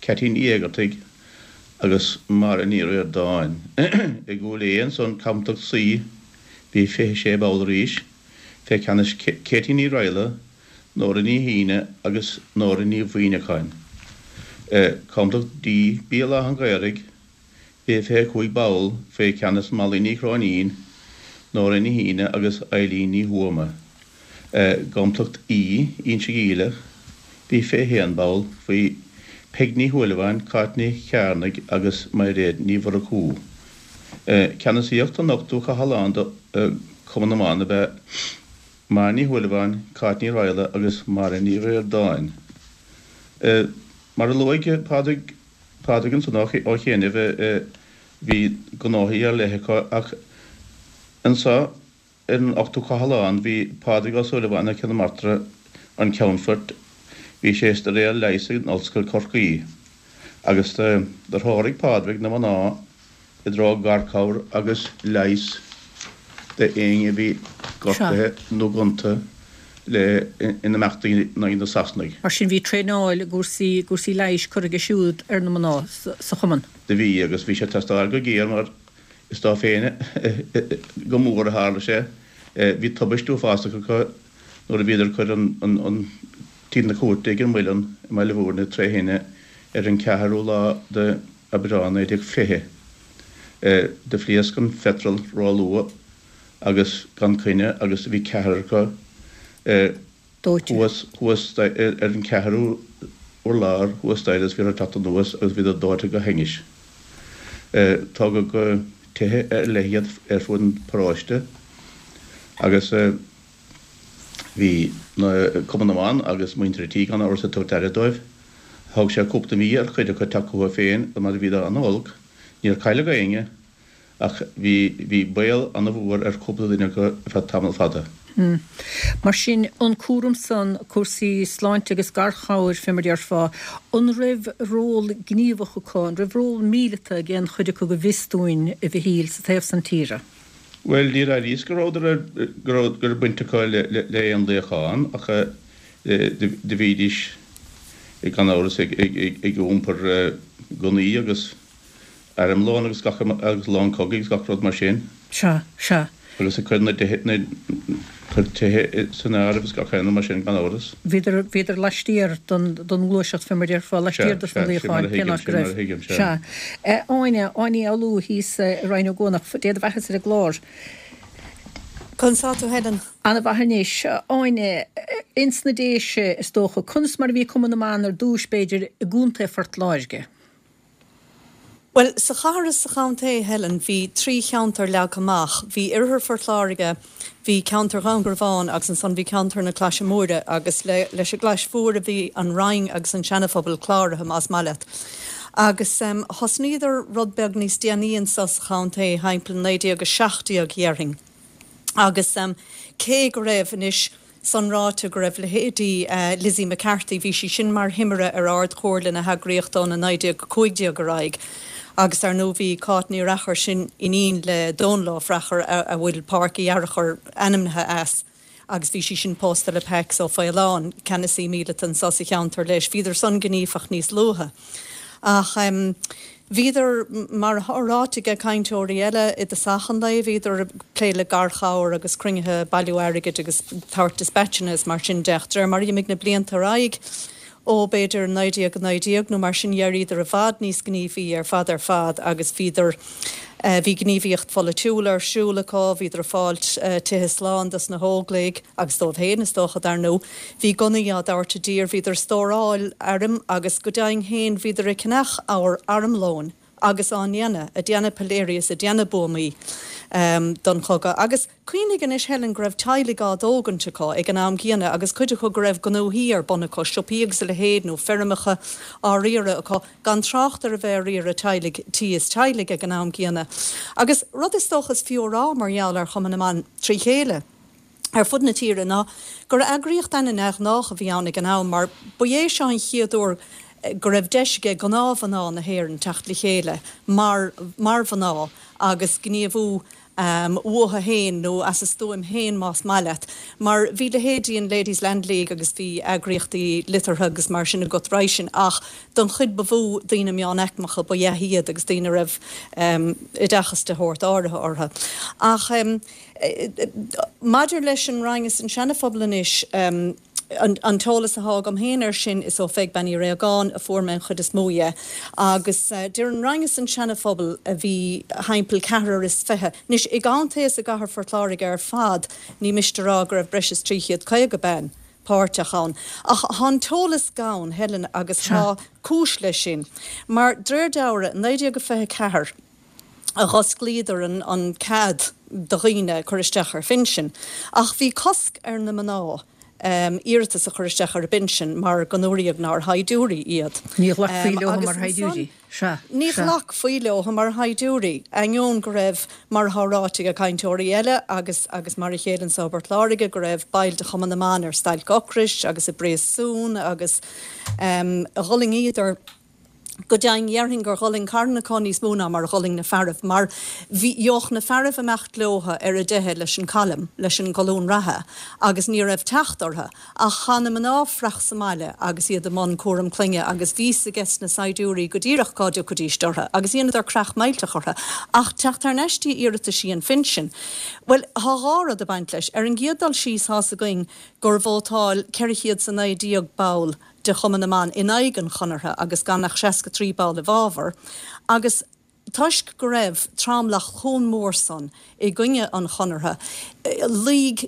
Ceaití Ní Éigeartaigh agus Máire Ní Ríordáin. I gCúil Aodha ansan, Complacht C, bhí fiche sé ball arís, fé cheannas Katie Ní Raghallaigh, Nóra Ní hAoine agus Nóra Ní Mhuimhneacháin. Complacht D, Béal Átha an Ghaorthaidh, bhí fiche cúig ball fé cheannas Molly Ní Chróinín, Nóra Ní hAoine agus Eileen Ní Thuama. gComplacht E, Inse Geimhleach, bhí fiche haon ball faoi Peig Ní Shúilleabháin, Cáit Ní Chearnaigh agus Mairéad Ní Mhurchú. Ceannasaíocht an ochtú chathlán de Chumann na mBan ab ea Máire Ní Shúilleabháin, Cáit Ní Raghallaigh agus Máire Ní Ríordáin. Mar a luaigh Pádraig Pádraig ansan ó chianaibh, bhí gnóthaí ar leith acu ach anso ar an ochtú cathlán bhí Pádraig Ó Súilleabháin ó Chill na Martra an ceannfort, bhí sé ag staidéar leighis in Ollscoil Chorcaí agus do threoraigh Pádraig na mná i dtreo garchabhair agus leighis d'éinne a bhí gortaithe nó gonta le in imeachtaí in aghaidh na Sasanaigh. Mar sin bhí traenáil i gcúrsaí gcúrsaí leighis curtha aige siúd ar na mná sa chumann. Do bhí agus bhí sé ag teastáil go géar mar Is dó féin go mór a tharla sé. Bhí tubaist uafásach acu nuair a bhíodar ag cur an tí na cúirte ag an Muileann i mBaile Bhúirne tré thine ar an ceathrú lá de Aibreán naoi déag fiche. Do phléasc an phetrol ró-luath agus gan coinne agus bhí ceathrar acu Dóite. thuas thuas ar an ceathrú urlár thuas staighre agus bhíodar ag teacht anuas agus bhíodar dóite go hainnis. Tógadh go tithe ar leith iad ar fud an pharóiste agus bhí na Cumann na mBan agus muintir an tí gan amhras ag tabhairt aire dóibh. Thóg sé cúpla mí ar chuid acu teacht chucu féin mar bhíodar an-olc. Níor cailleadh éinne ach bhí bhí baol an-mhór ar chúpla duine acu ar feadh tamall fada. Mar sin, an cúram san, cúrsaí sláinte agus garchabhair, fé mar déarfá, an raibh ról gníomhach acu, an raibh ról míleata ag aon chuid acu go bhfios dúinn, a Mhichíl, sa taobh san tíre? Bhuel, níor airíos go rabhadar ar, go raibh, go raibh baint acu le, le, le aon luíochán ach do bhídís gan amhras ag, ag, ag, ag iompar gunnaí agus armlón agus gach, agus lón cogaidh agus gach rud mar sin. Sea, sea. Agus ag cur na dtithe, na, cur tithe san áireamh agus gach aon rud mar sin gan amhras. Bhíodar, bhíodar laistiar don, don ngluaiseacht fé mar déarfá, Sea, laistiar dos na sea, sin mar luíocháin, a cén thuigim, áit go sin mar raibh. a thuigim, sea. Sea. Áine, Áine Ní Fhoghlú thíos i Rinn Ó gCuanach, Dé do bheathasa ar an gclár. Conas tá tú Helen? Ana-mhaith anois. Áine, ins na Déise is dócha, conas mar a bhí Cumann na mBan ar dtúis b'fhéidir i gContae Phort Láirge? Bhuel, sa chathair is sa chontae, Helen, bhí trí cheantar leagtha amach. Bhí Oirthear Phort Láirge, bhí ceantar Dhún Garbhán agus ansan bhí ceantar na Claise Móire agus le, leis an gClais Mhór a bhí an Rinn agus an Seanaphobal cláraithe, más maith leat. Agus thosnaíodar rud beag níos déanaí anso sa chontae, thimpeall naoi déag a seacht déag, dhéarfainn. Agus cé go raibh anois san ráite go raibh leithéidí Lizzie McCarthy, bhí sí sin mar thimire ar Ard-Chomhairle na heagraíochta ó naoi déag a cúig déag ar aghaidh, agus ar ndóigh bhí Cáit Ní Fhreachair, sin iníon le Dónal Ó Freachair a bhfuil Páirc Uí Fhearachair ainmnithe as, agus bhí sí sin pósta le Pax Ó Faoláin, ceannasaí míleata anso sa cheantar leis. Bhíodar san gníomhach níos luaithe. Ach bhíodar, mar atá ráite ag cainteoirí eile i dtosach an lae, bhíodar ag plé le garchabhair agus cruinnithe, bailiú airgid agus tabhairt dispatcheanna is mar sin de. Ach de réir mar a d'imigh na blianta ar aghaidh, ó b'fhéidir naoi déag a naoi déag nó mar sin d'éiríodar i bhfad níos gníomhaí ar fad ar fad agus bhíodar, bhí gníomhaíocht pholaitiúil ar siúl acu, bhíodar ag fáilt tithe slán dos na hÓglaigh agus dóibh féin is dócha dar ndóigh. Bhí gunnaí á dtabhairt i dtír, bhíodar ag stóráil airm agus go deimhin féin bhíodar ag ceannach ábhar armlóin agus á ndéanamh, ag déanamh piléirí is ag déanamh buamaí don chogadh. Agus cuimhnigh anois, Helen, go raibh teaghlaigh á dtógaint acu ag an am gcéanna agus cuid acu go raibh gnóthaí ar bun acu, siopaí agus a leithéid nó feirmeacha á riaradh acu, gan trácht ar a bheith ag riaradh teaghlaigh, tí is teaghlaigh ag an am gcéanna. Agus rud is dócha is fiú a rá mar gheall ar Chumann na mBan trí chéile, ar fud na tíre ná gur eagraíocht ana-neamhghnách a bhí ann ag an am mar ba é seo an chéad uair go raibh deis ag gnáthmhná na hÉireann teacht le chéile mar mar mhná agus gníomhú uathu féin nó as a stuaim féin más maith leat mar bhí leithéidí an Ladies Land League agus bhí eagraíochtaí liteartha agus mar sin agat roimhe sin ach don chuid ba mhó daoine meánaicmeacha ba ea iad agus daoine a raibh oideachas de shórt áirithe orthu. Ach. Maidir leis an Rinn is an Seana-Phobal anois, an t-eolas atá agam féin air sin, is ó Pheig Bean Uí Réagáin a fuair mé an chuid is mó dhe. Agus deir an Rinn is an Seana-Phobal a bhí thimpeall ceathrar is fiche. Anois, i gcontae is i gcathair Phort Láirge ar fad, ní miste a rá go raibh breis is trí chéad caoga bean páirteach ann. Ach tá an t-eolas gann, Helen, agus tá cúis leis sin. Mar, d'réir dealraimh, naoi déag a fiche ceathair, a dh'osclaíodar an cead do dhaoine cur isteach ar phinsean. Ach bhí cosc ar na mná iarratas a chur isteach ar a bpinsean mar go ndúradh nár shaighdiúirí iad. Ní ghlacfaí leo mar shaighdiúirí. Sea. Ní ghlacfaí leo mar shaighdiúirí, ainneoin go raibh, mar atá ráite ag cainteoirí eile agus agus mar a chéile anso i bPort Láirge, go raibh baill de Chumann na mBan ar stailc ocrais agus i bpríosún agus dh'fhulaingíodar. Go deimhin, dhéarfainn gur dh'fhulaing carn acu níos mó ná mar a dh'fhulaing na fearaibh, mar bhí, gheobhadh na fearaibh imeacht leotha ar a dteitheadh leis an column, leis an gcolún reatha, agus ní raibh teacht orthu. Ach chaith na mná fraoch sa mbaile agus iad i mbun cúram clainne agus bhí 'fhios ages na saighdiúirí go díreach cá dtiocfaidíst orthu, agus dheineadar creach millteach orthu. Ach teacht thar n-ais dtí iarrataisí an phinsin, bhuel, thá dhá rud ag baint leis. Ar an gcéad dul síos, thá's againn gur vótáil ceithre chéad 's a naoi déag ball de Chumann na mBan in aghaidh an Chonartha agus gan ach seasca trí ball i bhfabhar, agus toisc go raibh tromlach chomh mór san i gcoinne an Chonartha, luigh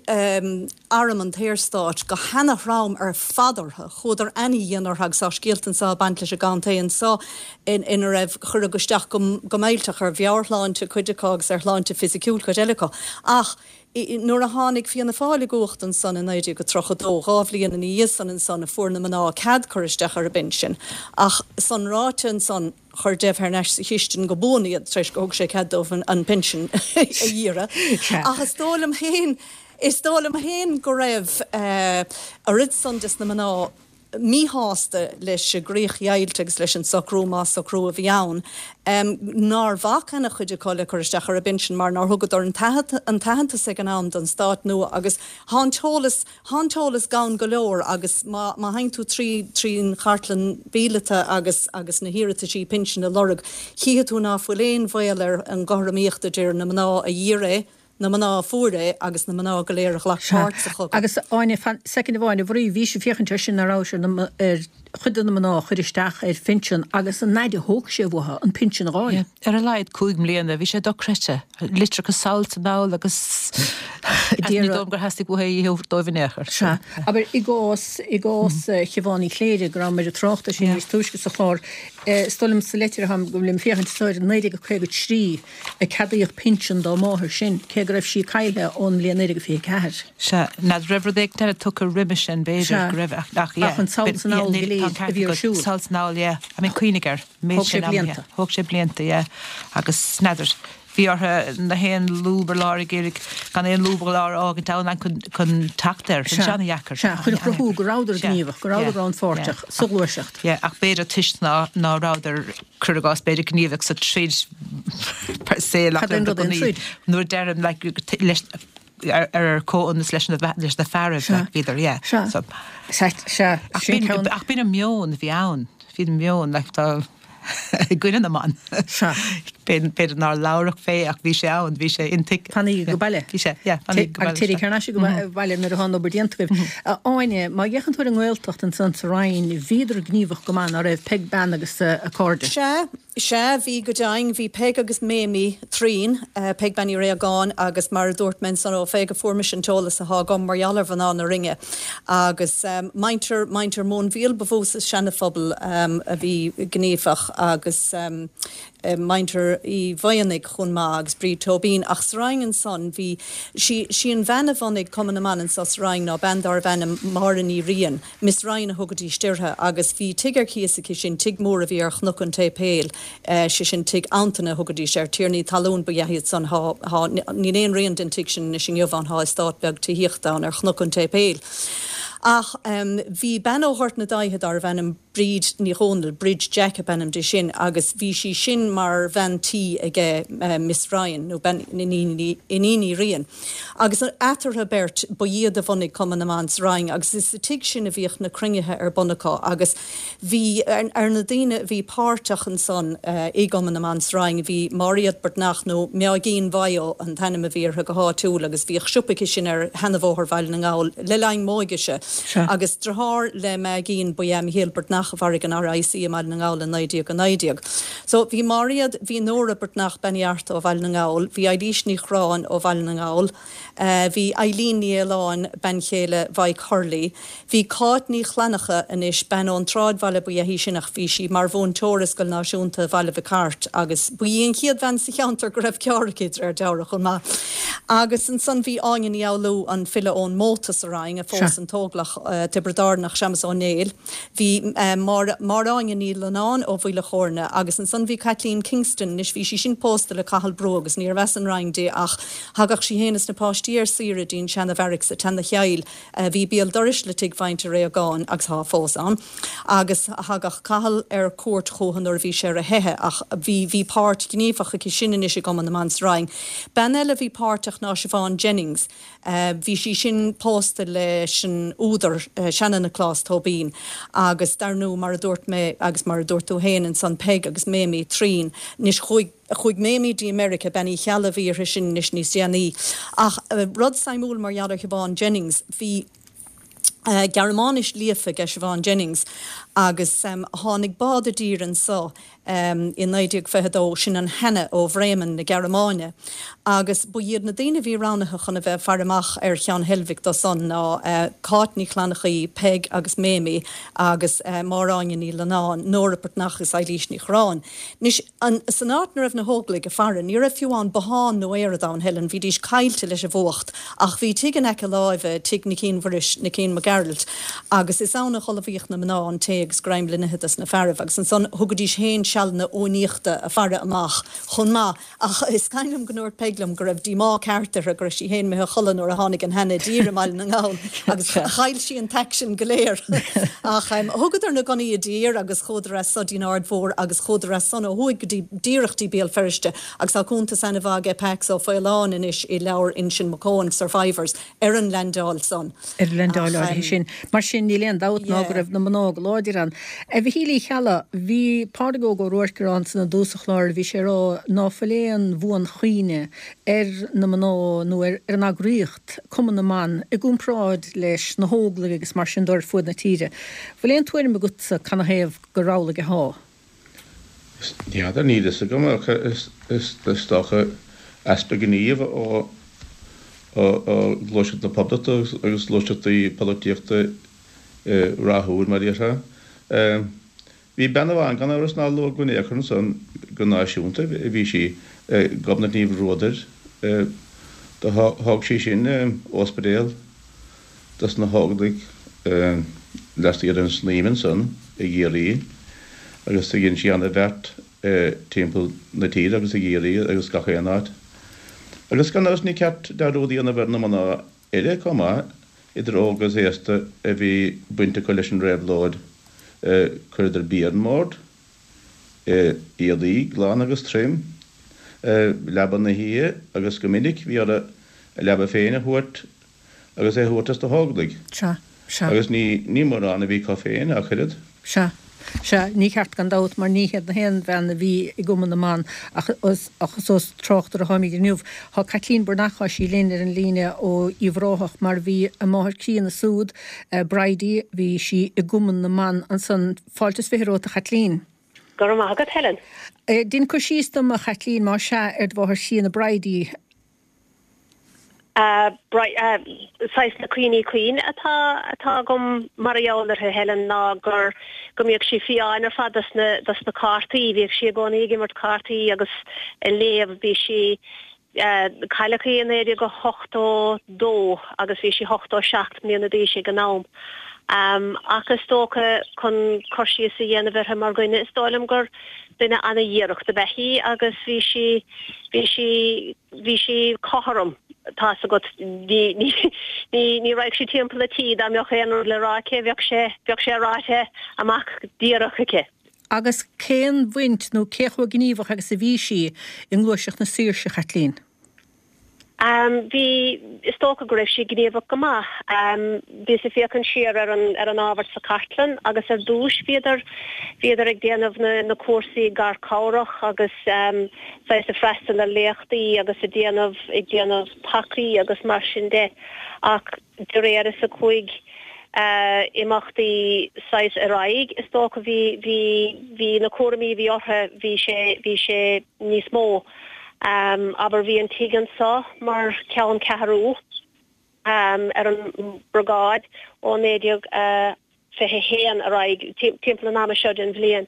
arm an tSaorstáit go hana-throm ar fad orthu, chuadar ana-dhian orthu agus tá scéalta anso ag baint leis an gcontae anso ina raibh, cuireadh isteach go millteach ar mheabhairshláinte cuid acu agus ar shláinte fisiciúil cuid eile acu. Ach. Nuair a tháinig Fianna Fáil i gcumhacht ansan i naoi déag a tríocha dó, dhá bhliain ina dhiaidh san ansan, fuair na mná cead cur isteach ar a bpinsin. Ach san ráite ansan, chuir Dev thar n-ais sa chistin go buan iad tar éis gur thug sé cead dóibh an pinsean a iarraidh. Ach is dóigh liom féin, is dóigh liom féin go raibh oiread san des na mná, míshásta leis an gcríochdheighilt agus leis an socrú, más socrú a bhí ann, nár bhac ana-chuid acu le cur isteach ar a bpinsean mar nár thugadar an t-aitheantas ag an am don stát nua agus thá an t-eolas, thá an t-eolas gann go leor agus má, má théann tú trí, trín chartlann mhíleata agus, agus na hiarrataisí pinsin a lorg, chífidh tú ná fuil aon bhaol ar an gcothromaíocht idir na mná a d'iarr é, na mná a fuair é agus na mná go léir a ghlac páirt sa chogadh. Agus Áine, fan soicind amháin, a Mharie, bhís ag féachaint air sin ar fheabhas ar na, ar chuid de na mná a chuir isteach ar phinsean agus an fhaid a thóg sé uathu an pinsean a dh'fháil. Yeah, ar a laghad cúig mbliana, bhí sé dochreidte. Litreacha sall 's anall agus ní dóigh liom gur theastaigh uathu é a thabhairt dóibh in aon chor. Sea. Abair, i gcás, i gcás Shiobhán Uí Chléirigh, go rabhamar ag trácht air sin níos túisce sa chlár, is dóigh liom sa leitir atá agam liom féachaint, is i naoi déag caoga trí, a ceadaíodh pinsean dá máthair sin, cé go raibh sí caillthe ón mbliain naoi déag fiche ceathair. Sea, n'fheadar raibh rud éigin eile tugtha roimhe sin, b'fhéidir, go raibh, ach, ach, yeah. Ach an sall 's anall go léir a bhí ar siúl. Sall 's anall, yeah. I mean, cuimhnigh air, Thóg sé blianta. Thóg sé blianta, yeah. Agus n'fheadar, bhí orthu na haon lúb ar lár ag iarraidh gan aon lúb ar lár a fhágaint ann chun, chun teacht air. Bhí sé ana-dheacair. Sea, chun a chruthú go rabhadar gníomhach, go rabhadar rannpháirteach sa ghluaiseacht. Yeah, ach b'fhéidir toisc ná, ná rabhadar cuir i gcás, b'fhéidir gníomhach sa troid per se Cad é an rud é an troid? Nuair a deirim like leis ar ar comhionannas leis na leis na fearaibh Sea. like bhíodar yeah. Sea. So Sea, sea, ach sin b'in ceann. ach b'in an meon a bhí ann, bhí an meon like tá i gcoinne na mban. Sea. B'fhéidir nár labhradh fé ach bhí sé ann, bhí sé intuigthe. Fanaigí go baile. Bhí sé, yeah, fanaigí go baile. Agus téirígí thar n-ais go baile nuair atá an obair déanta agaibh. A Áine, má fhéachann tú ar an nGaeltacht ansan sa Rinn, bhíodar gníomhach go maith, ná raibh Peig Bean agus a cairde? Sea, sea, bhí go deimhin. Bhí Peig agus Méimí Threain, Peig Bean Uí Réagáin agus mar a dúirt mé ansan ó Pheig a fuair mise an t-eolas athá agam mar gheall ar mhná na Rinne. Agus muintir, muintir Mhóinbhíol ba mhó sa Seana-Phobal a bhí gníomhach agus muintir Uí Mhaonaigh chomh maith agus Bríd Tóibín. Ach sa Rinn ansan bhí, sí, sí an bhean a bhunaigh Cumann na mBan anso sa Rinn ná bean dárbh ainm Máire Ní Riain, Miss Ryan a thugaidís uirthi, agus bhí tigh ar cíos aici sin, tigh mór a bhí ar Chnoc an tSéipéil, sé sin tigh Antaine a thugaidís air, tiarnaí talún ba ea iad san, thá, thá, níl aon rian den tigh sin anois inniu ann, thá eastát beag tithíochta ann ar Chnoc an tSéipéil. Ach bhí bean ó Ghort na Daighthe dárbh ainm Bríd Ní Dhomhnaill, Bridge Jack ab ainm di sin, agus bhí sí sin mar bhean tí aige Miss Ryan, nó bean Iníon Uí Riain. Agus eatarthu beirt, ba iad a bhunaigh Cumann na mBan sa Rinn, agus is sa tigh sin a bhíodh na cruinnithe ar bun acu, agus bhí, ar na daoine a bhí páirteach ansan i gCumann na mBan sa Rinn, bhí Máiréad Breatnach, nó Meáigín Mhaigh Eo an t-ainm a bhí uirthi go háitiúil, agus bhíodh siopa aici sin ar sheanabhóthar Bhaile na nGall le linn m'óigese. Agus deartháir le Meáigín ba ea Michéal Breatnach a mharaigh an RIC i mBaile na nGall i naoi déag a naoi déag. So bhí Máiréad, bhí Nóra Breatnach, Bean Uí Fhearta ó Bhaile na nGall, bhí Eilís Ní Chorráin ó Bhaile na nGall, bhí Eileen Ní Fhaoláin, bean chéile Mhaidhc Hurley, bhí Cáit Ní Chlannacha anois, bean ón tsráidbhaile ba ea í sin ach bhí sí mar mhúinteoir i Scoil Náisiúnta Bhaile Mhic Airt agus ba í an chéad bhean sa cheantar go raibh carr aici, de réir dealraimh, chomh maith. Agus ansan bhí Áine Ní Fhoghlú, an file ón Móta sa Rinn, a phós an tÓglach Tiobraid Árannach, Séamus Ó Néill. Bhí Máire Áine Ní Lonáin ó Mhaoil a' Chóirne agus ansan bhí Caitlín Kingston, anois bhí sí sin pósta le Cathal Brugha agus níorbh as an Rinn di ach thagadh sí fhéin is na páistí ar saoire dtí'n seana bheairic sa tSeana-Chill a bhí béal dorais le tigh mhuintir Réagáin agus thá fós ann agus thagadh Cathal ar cuairt chúthu nuair a bhí sé ar a theitheadh ach bhí bhí páirt ghníomhach aici sin anois i gCumann na mBan sa Rinn. Bean eile a bhí páirteach ná Siobhán Jennings. Bhí sí sin pósta leis an údar Seana-Nioclás Tóibín agus dar ndú mar a dúirt mé agus mar a dúirt tú féin ansan Peig agus Méimí Threain. Anois chuaigh chuaigh Méimí dtí Meiriceá, Bean Uí Cheallaigh a bhí uirthi sin anois níos déanaí. Ach rud suimiúil mar gheall ar Shiobhán Jennings, bhí Gearmáinis líofa aige Siobhán Jennings agus tháinig bád i dtír anso i naoi déag fiche a dó, sin an Hanna ó Bhremen na Gearmáine, agus ba iad na daoine a bhí roghnaithe chun a bheith ag faire amach ar Cheann Heilbhic dó san ná Cáit Ní Chlannachaí, Peig agus Méimí agus Máire Áine Ní Lonáin, Nóra Breatnach agus Eilís Ní Chorráin. Anois, san áit 'na raibh na hÓglaigh ag faire, ní raibh fiú amháin bothán nó aoraid ann, Helen, bhídís caillte leis an bhfuacht, ach bhí tigh in aice láimhe, tigh Nicín Mhuiris, Nicín Mac Gearailt, agus is ann a dh'ullmhaíodh na mná an tae agus greim le n-ithe dos na fearaibh, agus ansan thugaidís féin sealanna uainíochta a faire amach chomh maith. Ach is cuimhin liom go ndúirt Peig liom go raibh díomá ceart uirthi go raibh sí féin imithe a chodladh nuair a tháinig an Hanna i dtír i mBaile na nGall agus chaill sí an t-aicsean go léir. Ach thugadar na gunnaí i dtír agus chuadar as so dtí'n Aird Mhór agus chuadar as san ó thuaidh go dtí díreach dtí Béal Feirste agus tá cuntas ana-mhaith aige Pax Ó Faoláin anois i leabhar Uinseann Mac Eoin, Survivors, ar an leaindeáil san. Ar an leaindeáil áirithe sin. Mar sin, níl aon dabht ná go raibh na mná go láidir ann. A Mhichíl Uí Cheallaigh, bhí Pádraig Óg Ó Ruairc ag rá ansan i dtús an chláir, bhí sé ag rá ná fuil aon bhuanchuimhne ar na mná nó ar an eagraíocht, Cumann na mBan, i gcomparáid leis na hÓglaigh agus mar sin de ar fuaid na tíre. Bhfuil aon tuairim agatsa canathaobh gur amhlaidh athá? N'fheadar, níl fhios agam ach is dócha easpa gnímh ó Ghluaiseacht na Poblachta agus gluaiseachtaí polaitíochta rathúil, mar a déarfá. Bhí bean amháin gan amhras nár luadh go in aon chor ansan go náisiúnta, bhí sí, Gobnait Ní Bhruadair. Do thóg sí sin ospidéal dos na hÓglaigh lastiar den Snaidhm ansan i gCiarraí agus do dhein sí ana-bheart timpeall na tíre agus i gCiarraí agus gach aon áit. Agus gan amhras ní ceart dearúd a dhéanamh ar na mná eile chomh maith, idir óg agus aosta, a bhí baint acu leis an réabhlóid. Chuireadar bia ar an mbord, éadaí glan agus tirim, leaba na hoíche agus go minic bhí orthu a leaba féin a thabhairt agus é a thabhairt dos na hÓglaigh. Sea, sea. Agus ní, ní mórán a bhí acu féin ach oiread. Sea. Sea, ní ceart gan dabht, mar ní hiad na haon bhean a bhí i gCumann na mBan, ach ach is ós tráchtaire atáimid inniu. Tá Caitlín Breathnach, tá sí linn ar an líne ó Uíbh Ráthach, mar bhí a máthair críonna súd, Bridie, bhí sí i gCumann na mBan ansan. Fáilte is fiche romhat, a Chaitlín. Go raibh maith agat, Helen. Dein cur síos dom, a Chaitlín, más ea, ar do mháthair chríonna Bridie. Saghas na cuimhní cinn atá atá agam mar gheall uirthi, Helen, ná gur go mbíodh sí fiáin ar fad dos na dos na cártaí. Bhíodh sí i gcónaí ag imirt cártaí agus ag léamh. Bhí sí Cailleadh í i naoi déag a hochtó dó agus bhí sí ochtó seacht mbliana d'aois ag an am. Ach is dócha, chun cur síos a dhéanamh uirthi mar dhuine, is dóigh liom gur duine ana-dhíreach ab ea í agus bhí sí, bhí sí, bhí sí cothrom, tá's agat. Ní, ní, ní, ní raghadh sí timpeall an tí, dá mbeadh aon rud le rá aici, bheadh sé, bheadh sé ráite amach díreach aici. Agus cén bhaint nó cé chomh gníomhach agus a bhí sí i ngluaiseacht na saoirse, a Chaitlín? Bhí, is dócha go raibh sí gníomhach go maith. Bhíos ag féachaint siar ar an ar an ábhar sa chartlann agus ar dtúis bhíodar bhíodar ag déanamh na na cúrsaí garchabhrach agus saghas ag freastal ar léachtaí agus ag déanamh ag déanamh pacaí agus mar sin de ach de réir is a chuaigh imeachtaí saghas ar aghaidh, is dócha bhí bhí bhí na cúraimí a bhí orthu bhí sé bhí sé níos mó. Abair bhí an tigh anso mar ceann ceathrú ar an mbriogáid ó naoi déag fiche a haon ar aghaidh, timpeall an ama seo den bhliain.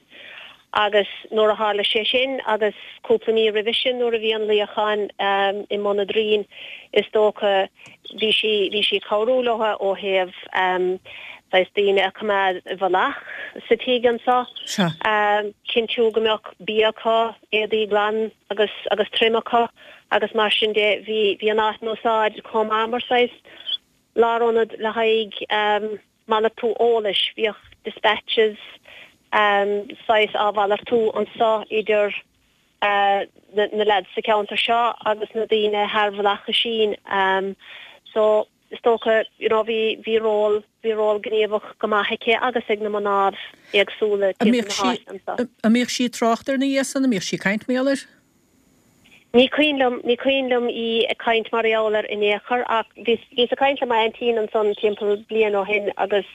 Agus nuair a tharla sé sin, agus cúpla mí roimhe sin nuair a bhí an luíochán i mBun an Doirín, is dócha, bhí sí, bhí sí ag cabhrú leo ó thaobh saghas daoine a choimeád i bhfolach sa tigh anso, cinntiú go mbeadh bia acu, éadaí glan agus, agus tirim acu agus mar sin de. Bhí, bhí an áit in úsáid chomh maith mar saghas lárionad le haghaidh malartú eolais. Bhíodh dispatches saghas á mhalartú anso idir na leaids sa cheantar seo agus na daoine thar Mhullach Oisín. So is dócha you know bhí bhí ról bhí ról gníomhach go maith aici agus ag na mná éagsúla timpeall na háite anso. An mbíodh sí ag trácht air ina dhiaidh san? An mbíodh sí ag caint mar gheall air? Ní cuimhin liom, ní cuimhin liom í ag caint mar gheall air in aon chor ach bhíos, bhíos ag caint le m'aintín ansan timpeall bliain ó shin agus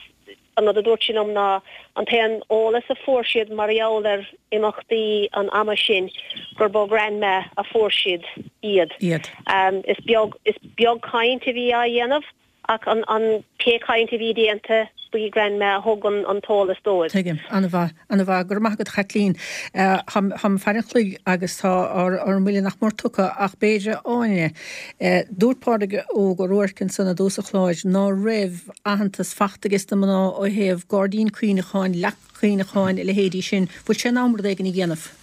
an rud a dúirt sí liom ná an t-aon eolas a fuair siad mar gheall ar imeachtaí an ama sin gurb ó Grandma a fuair siad iad. Iad. Is beag, is beag caint a bhí á dhéanamh Ach an an pé caint a bhí déanta, ba í Grandma a thug an an t-eolas dóibh. Tuigim. An-mhaith. An-mhaith. Go raibh maith agat, a Chaitlín. Táim ag faire an chloig agus tá ár ár mbuille nach mór tugtha ach b'fhéidir, a Áine, dúirt Pádraig Óg Ó Ruairc ansan i dtús an chláir ná raibh aitheantas fachta ages na mná ó thaobh gairdín cuimhneacháin, leac chuimhneacháin, a leithéidí sin. Bhfuil sé in am rud éigin a dhéanamh?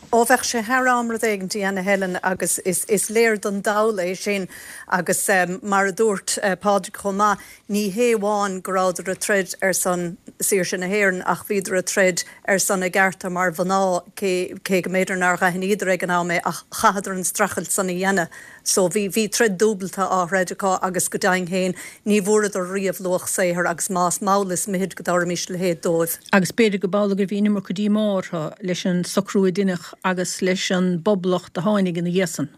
Ó bheadh sé thar am rud éigin a dhéanamh Helen agus is is léir don dall é sin agus mar a dúirt Pádraig chomh maith, ní hé amháin go rabhadar ag troid ar son saoirse na hÉireann ach bhíodar ag troid ar son a gcearta mar mhná cé cé go mb'fhéidir nár dh'aithníodar ag an am é ach chaitheadar an streachailt san a dhéanamh. So bhí, bhí troid dúbalta á throid acu agus go deimhin féin ní bhfuaireadar riamh luach saothair agus más mall is mithid go dtabharfaimis a leithéid dóibh. Agus b'fhéidir go b'amhlaidh gur bhí an iomarca díomá orthu leis an socrú a deineadh agus leis an bPoblacht a tháinig ina dhiaidh san.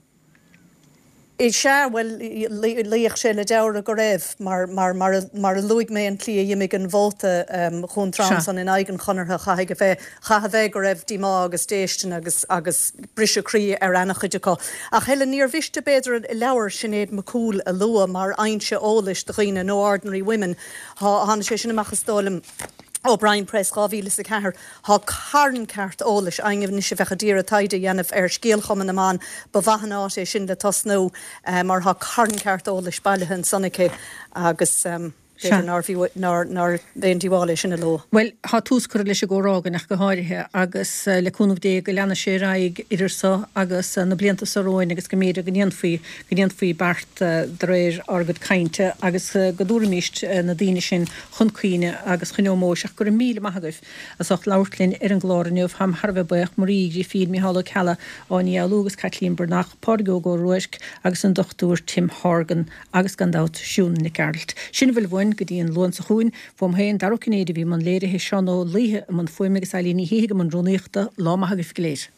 Is ea, bhuel, luífeadh sé le deabhradh go raibh, mar, mar, mar a, mar a luaigh mé an tslí a dh'imigh an vóta Dhún Sea. Trom san in aghaidh an Chonartha, chaithfidh a bheith, chaithfidh a bheith go raibh díomá agus déistin agus, agus briseadh croí ar ana-chuid acu. Ach Helen, níor mhiste b'fhéidir leabhar Sinéad McCoole a lua mar fhoinse eolais do dhaoine, No Ordinary Women, thá, tháinig sé sin amach is dóigh liom, O'Brien Press dhá mhíle is a ceathair. Thá carn ceart eolais éinne anois a bheadh a d'iarraidh taighde a dhéanamh ar scéal Chumann na mBan, ba mhaith an áit é sin le tosnú mar thá carn ceart eolais bailithe ansan aici agus b'fhéidir nár bhfiú, nár, nár aon díobháil é sin a lua. Bhuel, thá tús curtha leis an gcomhrá againn ach go háirithe agus le cúnamh Dé go leanfaidh sé ar aghaidh idir so agus na blianta so romhainn agus go mb'fhéidir go ndéanfaí, go ndéanfaí beart de réir ár gcuid cainte agus go dtabharfaimíst na daoine sin chun cuimhne agus chun ómóis ach go raibh míle maith agaibh as ucht labhairt linn ar an gclár inniu. Táim thar a bheith buíoch, Marie Uí Ghrifín, Micheál Ó Ceallaigh, Áine Ní Fhoghlú agus Caitlín Breathnach, Pádraig Óg Ó Ruairc agus an Dochtúir Tim Horgan agus gan dabht Siún Nic Gearailt. Sin a bhfuil uainn. sin go dtí an Luan seo chugainn, uaim féin, Dara Ó Cinnéide a bhí i mbun léirithe, Seán Ó Laoithe i mbun fuaime agus Eilín Ní Shíthigh i mbun rúnaíochta. Lá maith agaibh go léir.